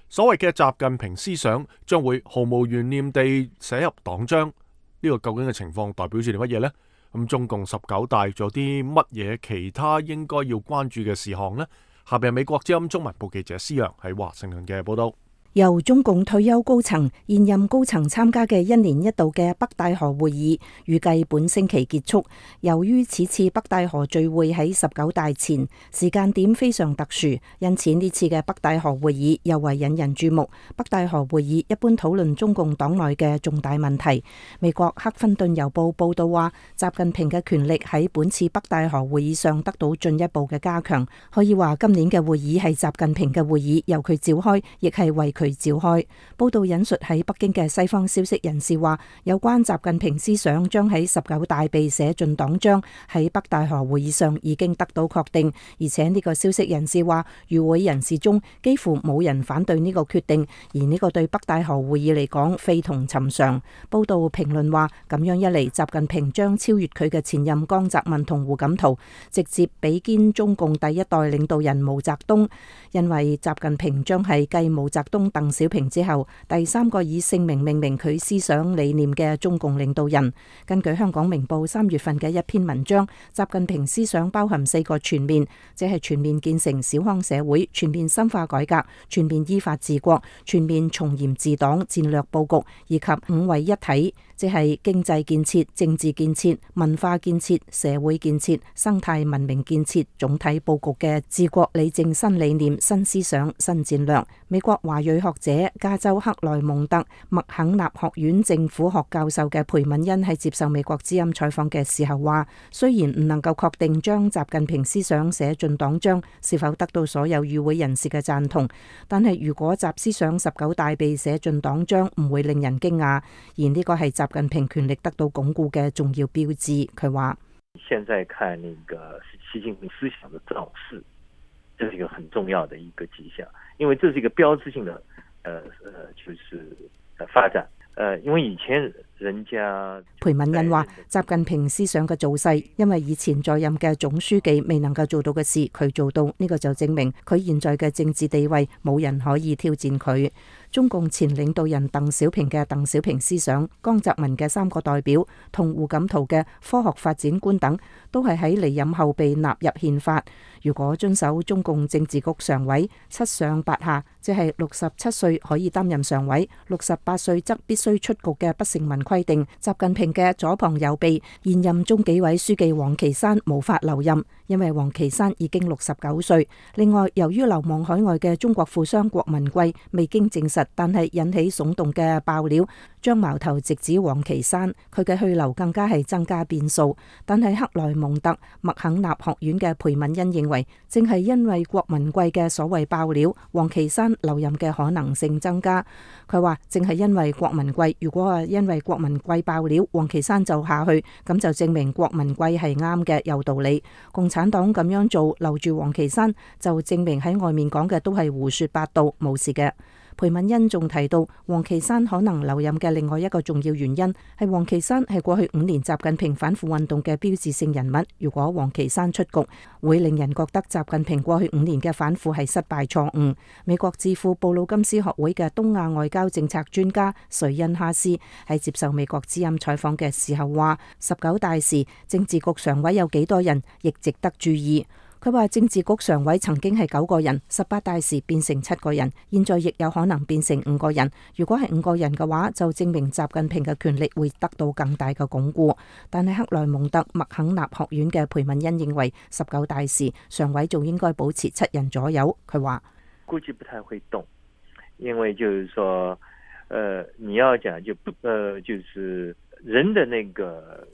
所謂嘅習近平思想將會毫無懸念地寫入黨章。呢個究竟嘅情況代表住啲乜嘢呢？咁中共19大仲有啲乜嘢其他應該要關注嘅事項呢？下邊係美國之音中文部記者施洋喺華盛頓嘅報道。由中共退休高層、現任高層參加嘅1年1度嘅北戴河會議，預計本星期結束。由於此次北戴河聚會喺19大前，時間點非常特殊，因此呢次嘅北戴河會議尤為引人注目。北戴河會議一般討論中共黨內嘅重大問題。美國克芬頓郵報報道話，習近平嘅權力喺本次北戴河會議上得到進一步嘅加強。可以話今年嘅會議係習近平嘅會議，由佢召開，亦係為佢召開。報道引述喺北京嘅西方消息人士話，有關習近平思想將喺19大被寫進黨章，喺北戴河會議上已經得到確定。而且呢個消息人士話，與會人士中幾乎冇人反對呢個決定，而呢個對北戴河會議嚟講非同尋常。報道評論話，咁樣一嚟，習近平將超越佢嘅前任江澤民同胡錦濤，直接比肩中共第一代領導人毛澤東，因為習近平將係繼毛澤東、鄧小平之後第3個以姓名命名佢思想理念嘅中共領導人。根據香港明報3月份嘅一篇文章，習近平思想包含4個全面，即係全面建成小康社會、全面深化改革、全面依法治國、全面從嚴治黨戰略佈局以及5位一體，即係經濟建設、政治建設、文化建設、社會建設、生態文明建設總體佈局嘅治國理政新理念、新思想、新戰略。美國華裔學者、加州克萊蒙特麥肯納學院政府學教授嘅裴敏恩喺接受美國之音採訪嘅時候話，雖然唔能夠確定將習近平思想寫進黨章是否得到所有與會人士嘅贊同，但係如果習思想19大被寫進黨章，唔會令人驚訝，而呢個係習近平權力得到鞏固嘅重要標誌。佢話：現在看那個習近平思想的造勢，這是一個很重要的一個跡象，因為這是一個標誌性的，就是發展。因為以前人家裴敏恩話，習近平思想嘅造勢，因為以前在任嘅總書記未能夠做到嘅事，佢做到，呢個就證明佢現在嘅政治地位冇人可以挑戰佢。中共前領導人鄧小平嘅鄧小平思想，江澤民嘅三個代表同胡錦濤嘅科學發展觀等，都係喺離任後被納入憲法。如果遵守中共政治局常委7上8下，即係67歲可以擔任常委，68歲則必須出局嘅不成文規定，習近平嘅左膀右臂現任中紀委書記王岐山無法留任，因為王岐山已經69歲。另外，由於流亡海外嘅中國富商郭文貴未經證實，但係引起聳動嘅爆料，將矛頭直指王岐山，佢嘅去留更加係增加變數。但係克萊蒙特麥肯納學院嘅裴敏恩認為，正係因為郭文貴嘅所謂爆料，王岐山留任嘅可能性增加。佢話正係因為郭文貴，如果係因為郭文貴爆料，王岐山就下去，咁就證明郭文貴係啱嘅，有道理。共產黨咁樣做留住王岐山，就證明喺外面講嘅都係胡說八道，冇事嘅。裴敏恩仲提到，王岐山可能留任嘅另外一個重要原因係王岐山係過去5年習近平反腐運動嘅標誌性人物。如果王岐山出局，會令人覺得習近平過去5年嘅反腐係失敗錯誤。美國智庫布魯金斯學會嘅東亞外交政策專家瑞恩哈斯喺接受美國之音採訪嘅時候話，19大時政治局常委有幾多人，亦值得注意。佢話政治局常委曾經係9個人，18大時變成7個人，現在亦有可能變成5個人。如果係5個人嘅話，就證明習近平嘅權力會得到更大嘅鞏固。但係克萊蒙特麥肯納學院嘅裴敏恩認為，19大時常委仲應該保持7人左右。佢話估計不太會動，因為就是說，你要講就是人的那個。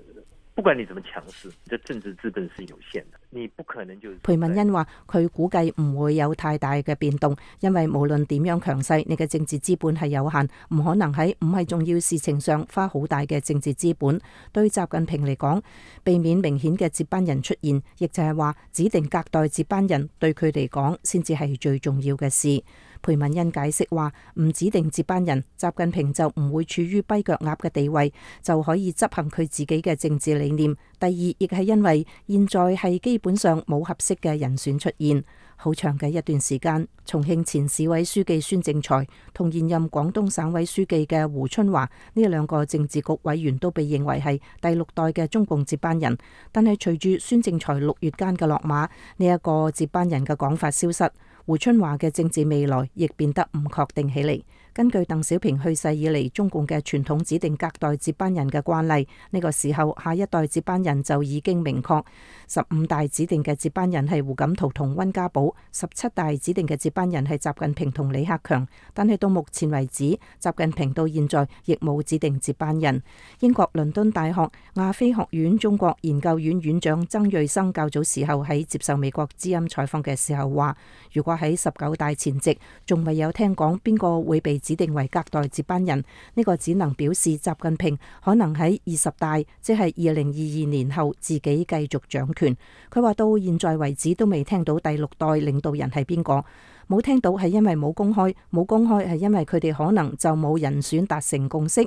不管你怎麼強勢，你的政治資本是有限的，你不可能就是。裴敏恩話：佢估計唔會有太大嘅變動，因為無論點樣強勢，你嘅政治資本係有限，唔可能喺唔係重要事情上花好大嘅政治資本。對習近平嚟講，避免明顯嘅接班人出現，亦就係話指定隔代接班人對佢嚟講先至係最重要嘅事。裴敏恩解釋話：唔指定接班人，習近平就唔會處於跛腳鴨嘅地位，就可以執行佢自己嘅政治理念。第二，亦係因為現在係基本上冇合適嘅人選出現。好長嘅一段時間，重慶前市委書記孫政才同現任廣東省委書記嘅胡春華呢兩個政治局委員都被認為係第6代嘅中共接班人。但係隨住孫政才6月間嘅落馬，呢一個接班人嘅講法消失，胡春華嘅政治未來亦變得唔確定起嚟。根據鄧小平去世以嚟中共嘅傳統指定隔代接班人嘅慣例，呢個時候下一代接班人就已經明確。15大指定嘅接班人係胡錦濤同溫家寶，17大指定嘅接班人係習近平同李克強。但係到目前為止，習近平到現在亦冇指定接班人。英國倫敦大學亞非學院中國研究院院長曾瑞生較早時候喺接受美國之音採訪嘅時候話，如果喺19大前夕仲未有聽講邊個會被指定為隔代接班人，呢個只能表示習近平可能喺20大，即係2022年後自己繼續掌權。佢話到現在為止都未聽到第6代領導人係邊個。冇聽到係因為冇公開，冇公開係因為佢哋可能就冇人選達成共識，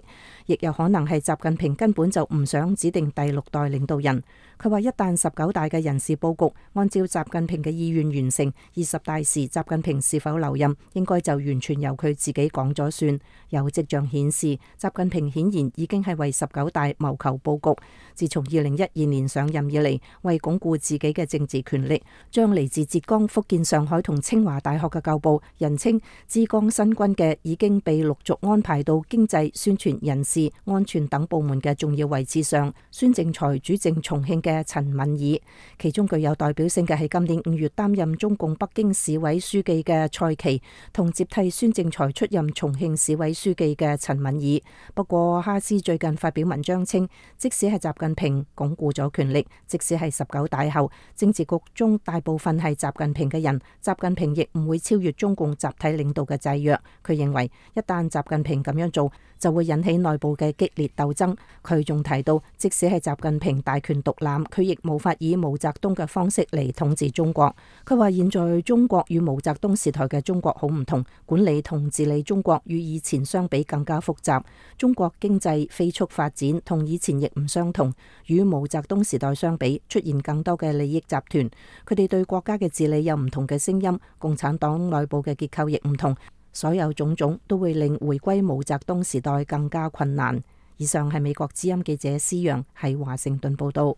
亦有可能係習近平根本就唔想指定第6代領導人。佢話一旦19大嘅人事佈局按照習近平嘅意願完成，20大時習近平是否留任，應該就完全由佢自己講咗算。有跡象顯示，習近平顯然已經係為19大謀求佈局。自從2012年上任以嚟，為鞏固自己嘅政治權力，將嚟自浙江、福建、上海同清華大學國嘅舊部人稱之江新軍嘅已經被陸續安排到經濟、宣傳、人事、安全等部門嘅重要位置上。孫政才主政重慶嘅陳敏爾，其中具有代表性嘅係今年5月擔任中共北京市委書記嘅蔡奇，同接替孫政才出任重慶市委書記嘅陳敏爾。不過哈斯最近發表文章稱，即使係習近平鞏固咗權力，即使係19大後政治局中大部分係習近平嘅人，習近平亦唔會超越中共集體領導嘅制約。佢認為一旦習近平咁樣做，就會引起內部嘅激烈鬥爭。佢仲提到，即使係習近平大權獨攬，佢亦無法以毛澤東嘅方式嚟統治中國。佢話現在中國與毛澤東時代嘅中國好唔同，管理同治理中國與以前相比更加複雜。中國經濟飛速發展，同以前亦唔相同。與毛澤東時代相比，出現更多嘅利益集團，佢哋對國家嘅治理有唔同嘅聲音。共產黨內部嘅結構亦唔同，所有種種都會令回歸毛澤東時代更加困難。以上係美國之音記者施陽喺華盛頓報道。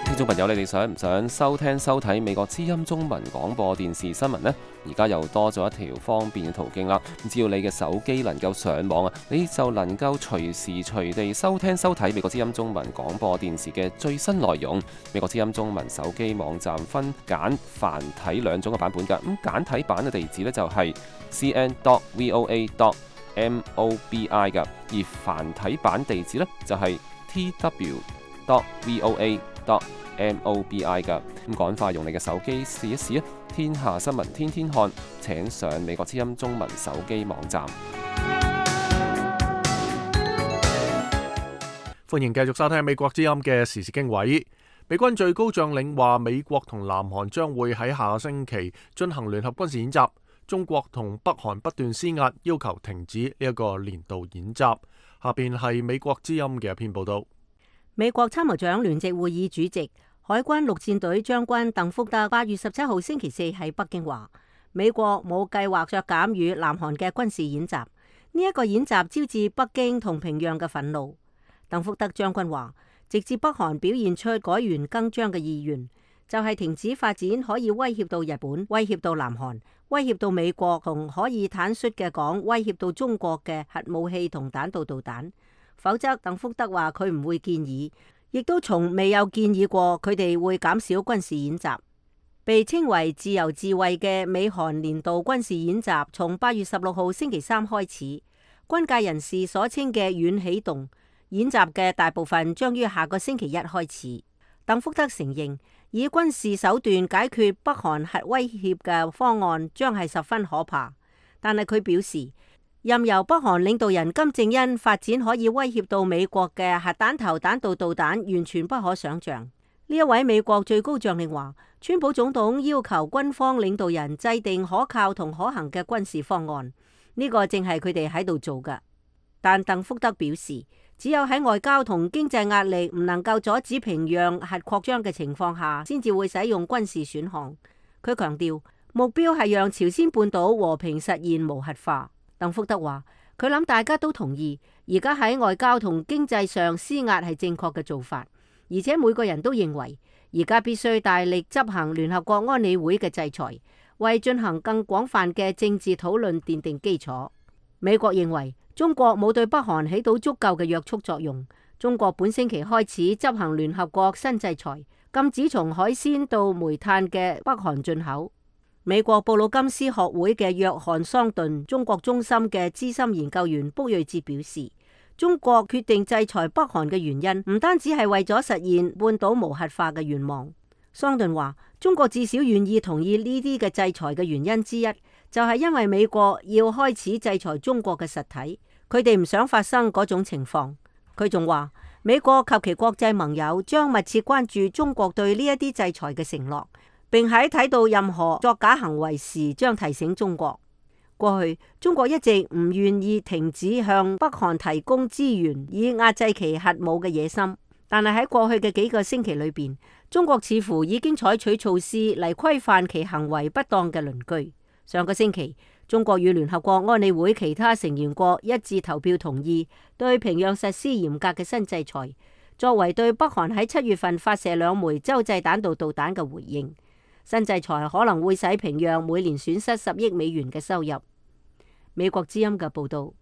聽眾朋友，你哋想唔想收聽收睇美國之音中文廣播電視新聞呢？而家又多咗一條方便嘅途徑啦！只要你嘅手機能夠上網啊，你就能夠隨時隨地收聽收睇美國之音中文廣播電視嘅最新內容。美國之音中文手機網站分簡繁體兩種嘅版本㗎。咁簡體版嘅地址呢，就係 cn.voa.mobi 㗎，而繁體版地址呢，就係 tw.voa.mobi 㗎。咁趕快用你嘅手機試一試啊！天下新聞天天看，請上美國之音中文手機網站。歡迎繼續收聽美國之音嘅時事經緯。美軍最高將領話，美國同南韓將會喺下個星期進行聯合軍事演習。中國同北韓不斷施壓，要求停止呢一個年度演習。下邊係美國之音嘅一篇報道。美國參謀長聯席會議主席、海軍陸戰隊將軍鄧福德8月17號星期四喺北京話，美國冇計劃削減與南韓嘅軍事演習。呢一個演習招致北京同平壤嘅憤怒。鄧福德將軍話，直至北韓表現出改弦更張嘅意願，就係停止發展可以威脅到日本、威脅到南韓、威脅到美國，同可以坦率嘅講威脅到中國嘅核武器同彈道導彈。否則，鄧福德話佢唔會建議，亦都從未有建議過佢哋會減少軍事演習。被稱為自由自衛嘅美韓年度軍事演習，從8月16號星期三開始。軍界人士所稱嘅軟啟動演習嘅大部分將於下個星期一開始。鄧福德承認，以軍事手段解決北韓核威脅嘅方案將係十分可怕，但係佢表示，任由北韓領導人金正恩發展可以威脅到美國嘅核彈頭彈道導彈，完全不可想象。呢一位美國最高將領話，川普總統要求軍方領導人制定可靠同可行嘅軍事方案，呢個正係佢哋喺度做㗎。但鄧福德表示，只有喺外交同經濟壓力唔能夠阻止平壤核擴張嘅情況下，先至會使用軍事選項。佢強調，目標係讓朝鮮半島和平實現無核化。鄧福德話，佢諗大家都同意，而家喺外交同經濟上施壓係正確嘅做法，而且每個人都認為，而家必須大力執行聯合國安理會嘅制裁，為進行更廣泛嘅政治討論奠定基礎。美國認為中國冇對北韓起到足夠嘅約束作用。中國本星期開始執行聯合國新制裁，禁止從海鮮到煤炭嘅北韓進口。美國布魯金斯學會嘅約翰桑頓中國中心嘅資深研究員卜瑞哲表示，中國決定制裁北韓嘅原因唔單止係為咗實現半島無核化嘅願望。桑頓話，中國至少願意同意呢啲嘅制裁嘅原因之一，就係因為美國要開始制裁中國嘅實體，佢哋唔想發生嗰種情況。佢仲話，美國及其國際盟友將密切關注中國對呢一啲制裁嘅承諾，並喺睇到任何作假行為時，將提醒中國。過去中國一直唔願意停止向北韓提供資源，以壓制其核武嘅野心。但係喺過去嘅幾個星期裏邊，中國似乎已經採取措施嚟規範其行為不當嘅鄰居。上個星期，中國與聯合國安理會其他成員國一致投票同意對平壤實施嚴格嘅新制裁，作為對北韓喺7月份發射2枚洲際彈道導彈嘅回應。新制裁可能會使平壤每年損失10億美元嘅收入。美國之音嘅報導。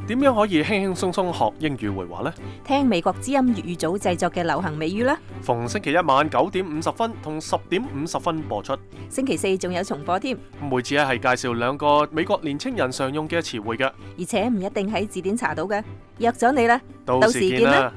點樣可以輕輕鬆鬆學英語會話呢？聽美國之音粵語組製作嘅流行美語啦。逢星期一晚9點50分同10點50分播出。星期四仲有重播添。每次係介紹2個美國年青人常用嘅詞彙嘅，而且唔一定喺字典查到嘅。約咗你啦，到時見啦。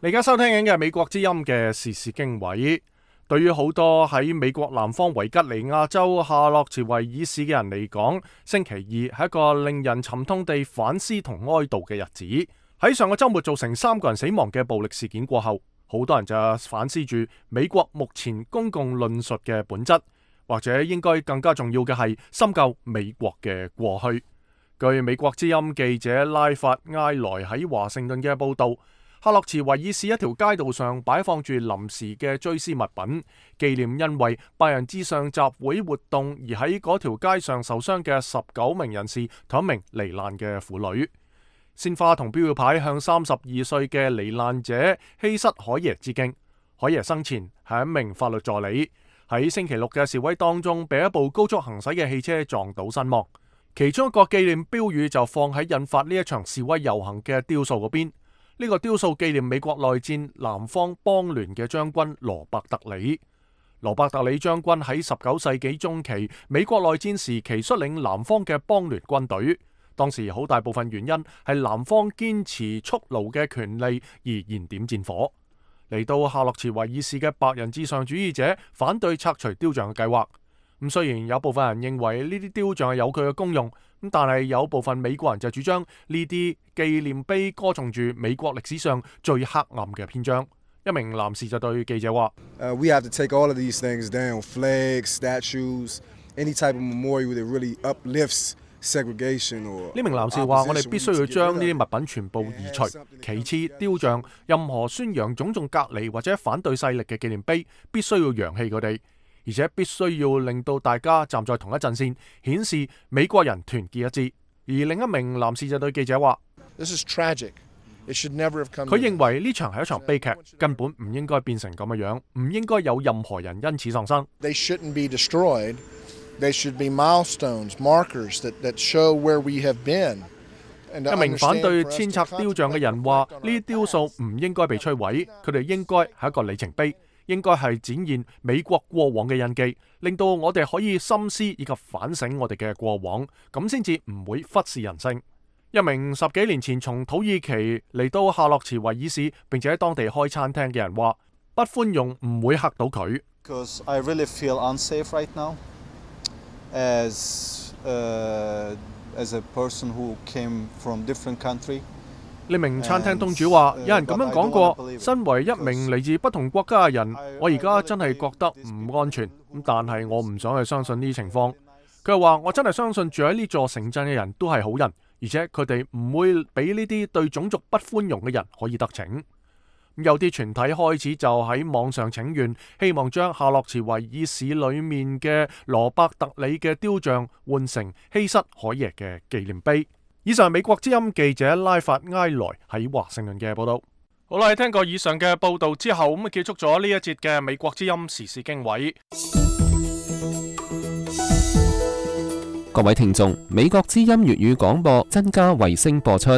你而家收聽緊嘅係美國之音嘅時事經緯。對於好多喺美國南方維吉尼亞州夏洛茨維爾市嘅人嚟講，星期二係一個令人沉痛地反思同哀悼嘅日子。喺上個週末造成3個人死亡嘅暴力事件過後，好多人就反思住美國目前公共論述嘅本質，或者應該更加重要嘅係深究美國嘅過去。據美國之音記者拉法埃萊喺華盛頓嘅報導，夏洛茨維爾市一條街道上擺放住臨時嘅追思物品，紀念因為白人至上集會活動而喺嗰條街上受傷嘅19名人士同1名罹難嘅婦女。鮮花同標語牌向32歲嘅罹難者希瑟海耶致敬。海耶生前係一名法律助理，喺星期六嘅示威當中被一部高速行駛嘅汽車撞倒身亡。其中一個紀念標語就放喺引發呢一場示威遊行嘅雕塑嗰邊。呢個雕塑紀念美國內戰南方邦聯嘅將軍羅伯特里。羅伯特里將軍喺19世紀中期美國內戰時期率領南方嘅邦聯軍隊，當時好大部分原因係南方堅持蓄奴嘅權利而燃點戰火。嚟到夏洛茨維爾市嘅白人至上主義者反對拆除雕像嘅計劃。咁雖然有部分人認為呢啲雕像係有佢嘅功用，咁但係有部分美國人就主張呢啲紀念碑歌頌住美國歷史上最黑暗嘅篇章。一名男士就對記者話：We have to take all of these things down, flags, statues, any type of memorial that really uplifts segregation or。呢名男士話：我哋必須要將呢啲物品全部移除。其次，雕像、任何宣揚種族隔離或者反對勢力嘅紀念碑，必須要揚棄佢哋。而且必須要令到大家站在同一陣線，顯示美國人團結一致。而另一名男士就對記者話：佢認為呢場係一場悲劇，根本唔應該變成咁嘅樣，唔應該有任何人因此喪生。一名反對遷拆雕像嘅人話：呢啲雕塑唔應該被摧毀，佢哋應該係一個里程碑。應該係展現美國過往嘅印記，令到我哋可以深思以及反省我哋嘅過往，咁先至唔會忽視人性。一名10幾年前從土耳其嚟到夏洛茨維爾市，並且喺當地開餐廳嘅人話：不寬容唔會嚇到佢。呢名餐廳東主話：有人咁樣講過，身為一名嚟自不同國家嘅人，我而家真係覺得唔安全。咁但係我唔想去相信呢啲情況。佢話：我真係相信住喺呢座城鎮嘅人都係好人，而且佢哋唔會俾呢啲對種族不寬容嘅人可以得逞。有啲團體開始就喺網上請願，希望將夏洛茨維爾市裏面嘅羅伯特里嘅雕像換成希瑟海耶嘅紀念碑。以上係美國之音記者拉法埃萊喺華盛頓嘅報道。好啦，聽過以上嘅報道之後，咁結束咗呢一節嘅美國之音時事經緯。各位聽眾，美國之音粵語廣播增加衛星播出，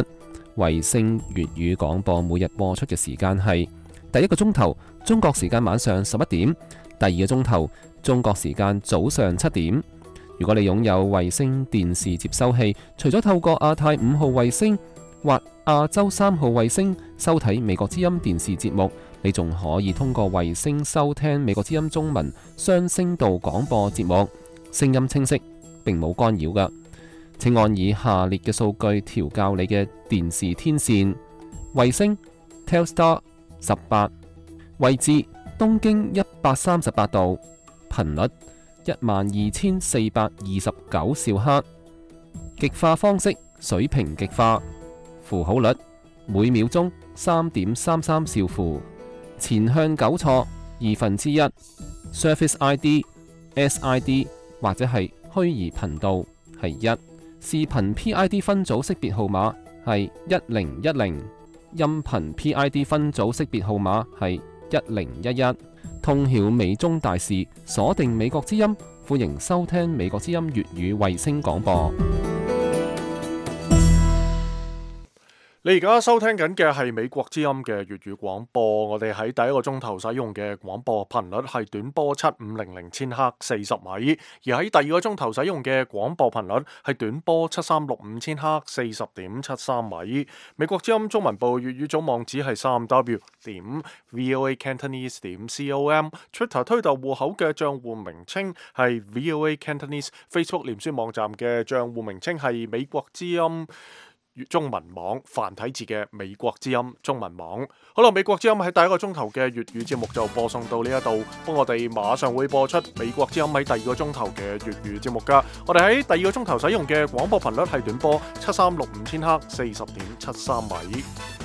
衛星粵語廣播每日播出嘅時間係第一個鐘頭中國時間晚上11點，第二個鐘頭中國時間早上7點。如果你擁有衛星電視接收器，除咗透過亞太5號衛星或亞洲3號衛星收睇美國之音電視節目，你仲可以通過衛星收聽美國之音中文雙聲道廣播節目，聲音清晰，並冇干擾㗎。請按以下列嘅數據調校你嘅電視天線：衛星 Telstar 18，位置東經138度，頻率12429兆赫，極化方式水平極化，符號率每秒鐘3.33兆符，前向糾錯1/2， Surface ID、SID 或者係虛擬頻道係1，視頻 PID 分組識別號碼係1010。音頻 PID 分組識別號碼係1011。通曉美中大事，鎖定美國之音，歡迎收聽美國之音粵語衛星廣播。你而家收聽緊嘅係美國之音嘅粵語廣播，我哋喺第一個鐘頭使用嘅廣播頻率係短波7500千赫40米，而喺第二個鐘頭使用嘅廣播頻率係短波7365千赫40.73米。美國之音中文部粵語組網址係3w.voacantonese.com，Twitter 推特戶口嘅帳戶名稱係 VOA Cantonese，Facebook 臉書網站嘅帳戶名稱係美國之音中文網，繁體字嘅美國之音中文網。好啦，美國之音喺第一個鐘頭嘅粵語節目就播送到呢一度，不過我哋馬上會播出美國之音喺第二個鐘頭嘅粵語節目噶。我哋喺第二個鐘頭使用嘅廣播頻率係短波7365千赫40.73米。